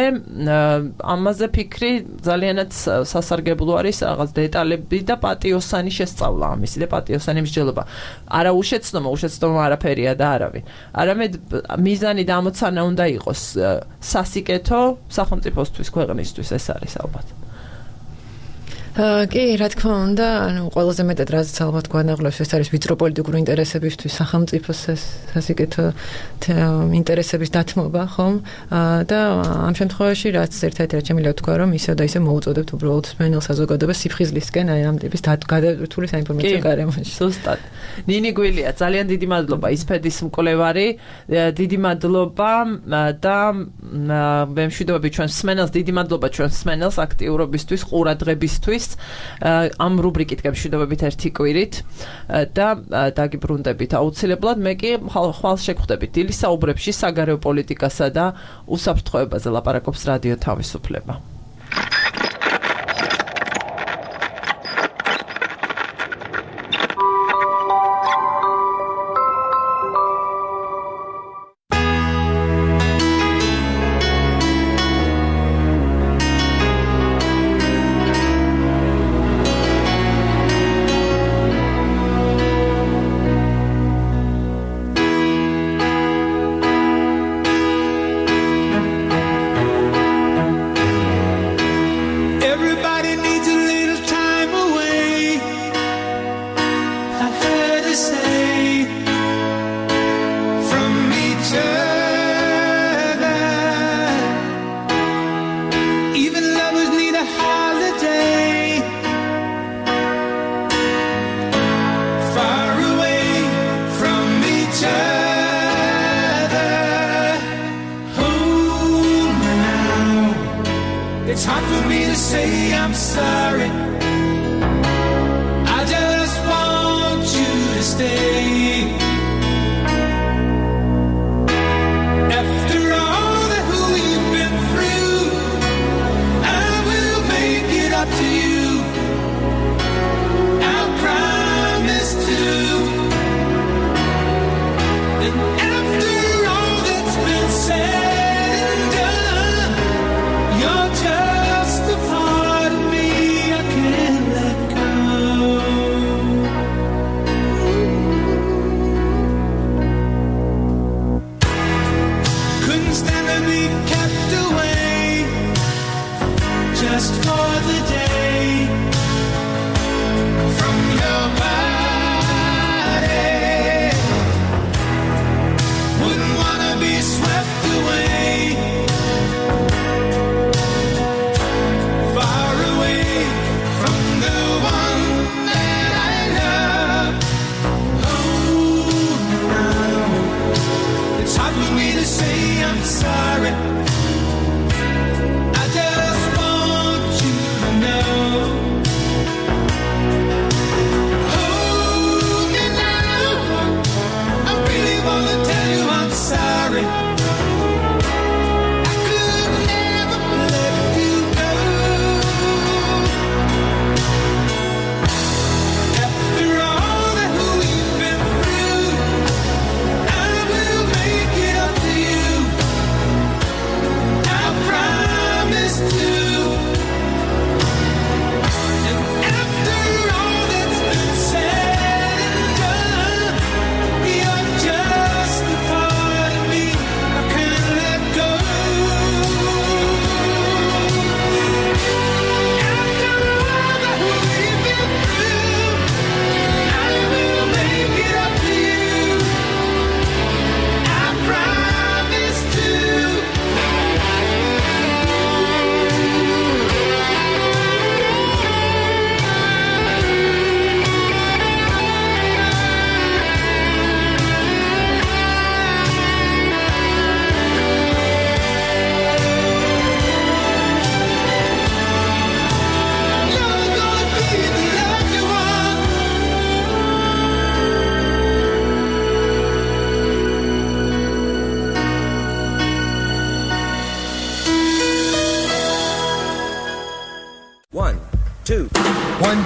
ამაზე ფიქრი ძალიანაც სასარგებლო არის, რაღაც დეტალები და პატიოსანი შესწავლა ამისი და პატიოსანი მსჯელობა. არა უშეცდომა, უშეცდომა არაფერია და არავინ. არამედ მიზანი და ამოცანა უნდა იყოს სასიკეთო სახელმწიფოსთვის, ქვეყნისთვის, ეს არის ალბათ. კი, რა თქმა უნდა, ანუ ყველაზე მეტად რაც ალბათ გვანაღლებს, ეს არის ვიწრო პოლიტიკური ინტერესებისთვის სახელმწიფოს სასიკეთო ინტერესების დათმობა, ხომ? და ამ შემთხვევაში რაც ერთ-ერთი რაც შემიძლია ვთქვა, რომ ისე და ისე მოუწოდებთ უბრალოდ სმენელ საზოგადოებას სიფხიზლისკენ, აი ამ ტიპის გადატვირთული საინფორმაციო გარემოში. ზუსტად. ნინი გვილია, ძალიან დიდი მადლობა ისფედის მკვლევარი, დიდი მადლობა და მე მშვიდობები ჩვენ სმენელს, დიდი მადლობა ჩვენ სმენელს აქტიურობისთვის, ყურადღებისთვის. ამ რუბრიკით გემშვიდობებით ერთი კვირით და დაგიბრუნდებით აუცილებლად. მე კი ხვალ შეგხვდებით დილის საუბრებში საგარეო პოლიტიკასა და უსაფრთხოებაზე ლაპარაკობს რადიო თავისუფლება. It's hard for me to say I'm sorry. I just want you to stay. After all that we've been through, I will make it up to you. I promise to. And after all that's been said, just a part of me I can't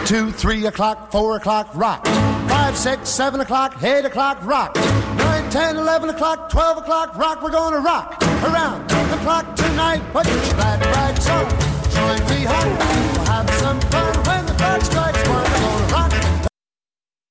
two, three o'clock, four o'clock, rock. Five, six, seven o'clock, eight o'clock, rock. Nine, ten, eleven o'clock, twelve o'clock, rock. We're gonna rock around the clock tonight. Put your glad rags on, join me home, we'll have some fun.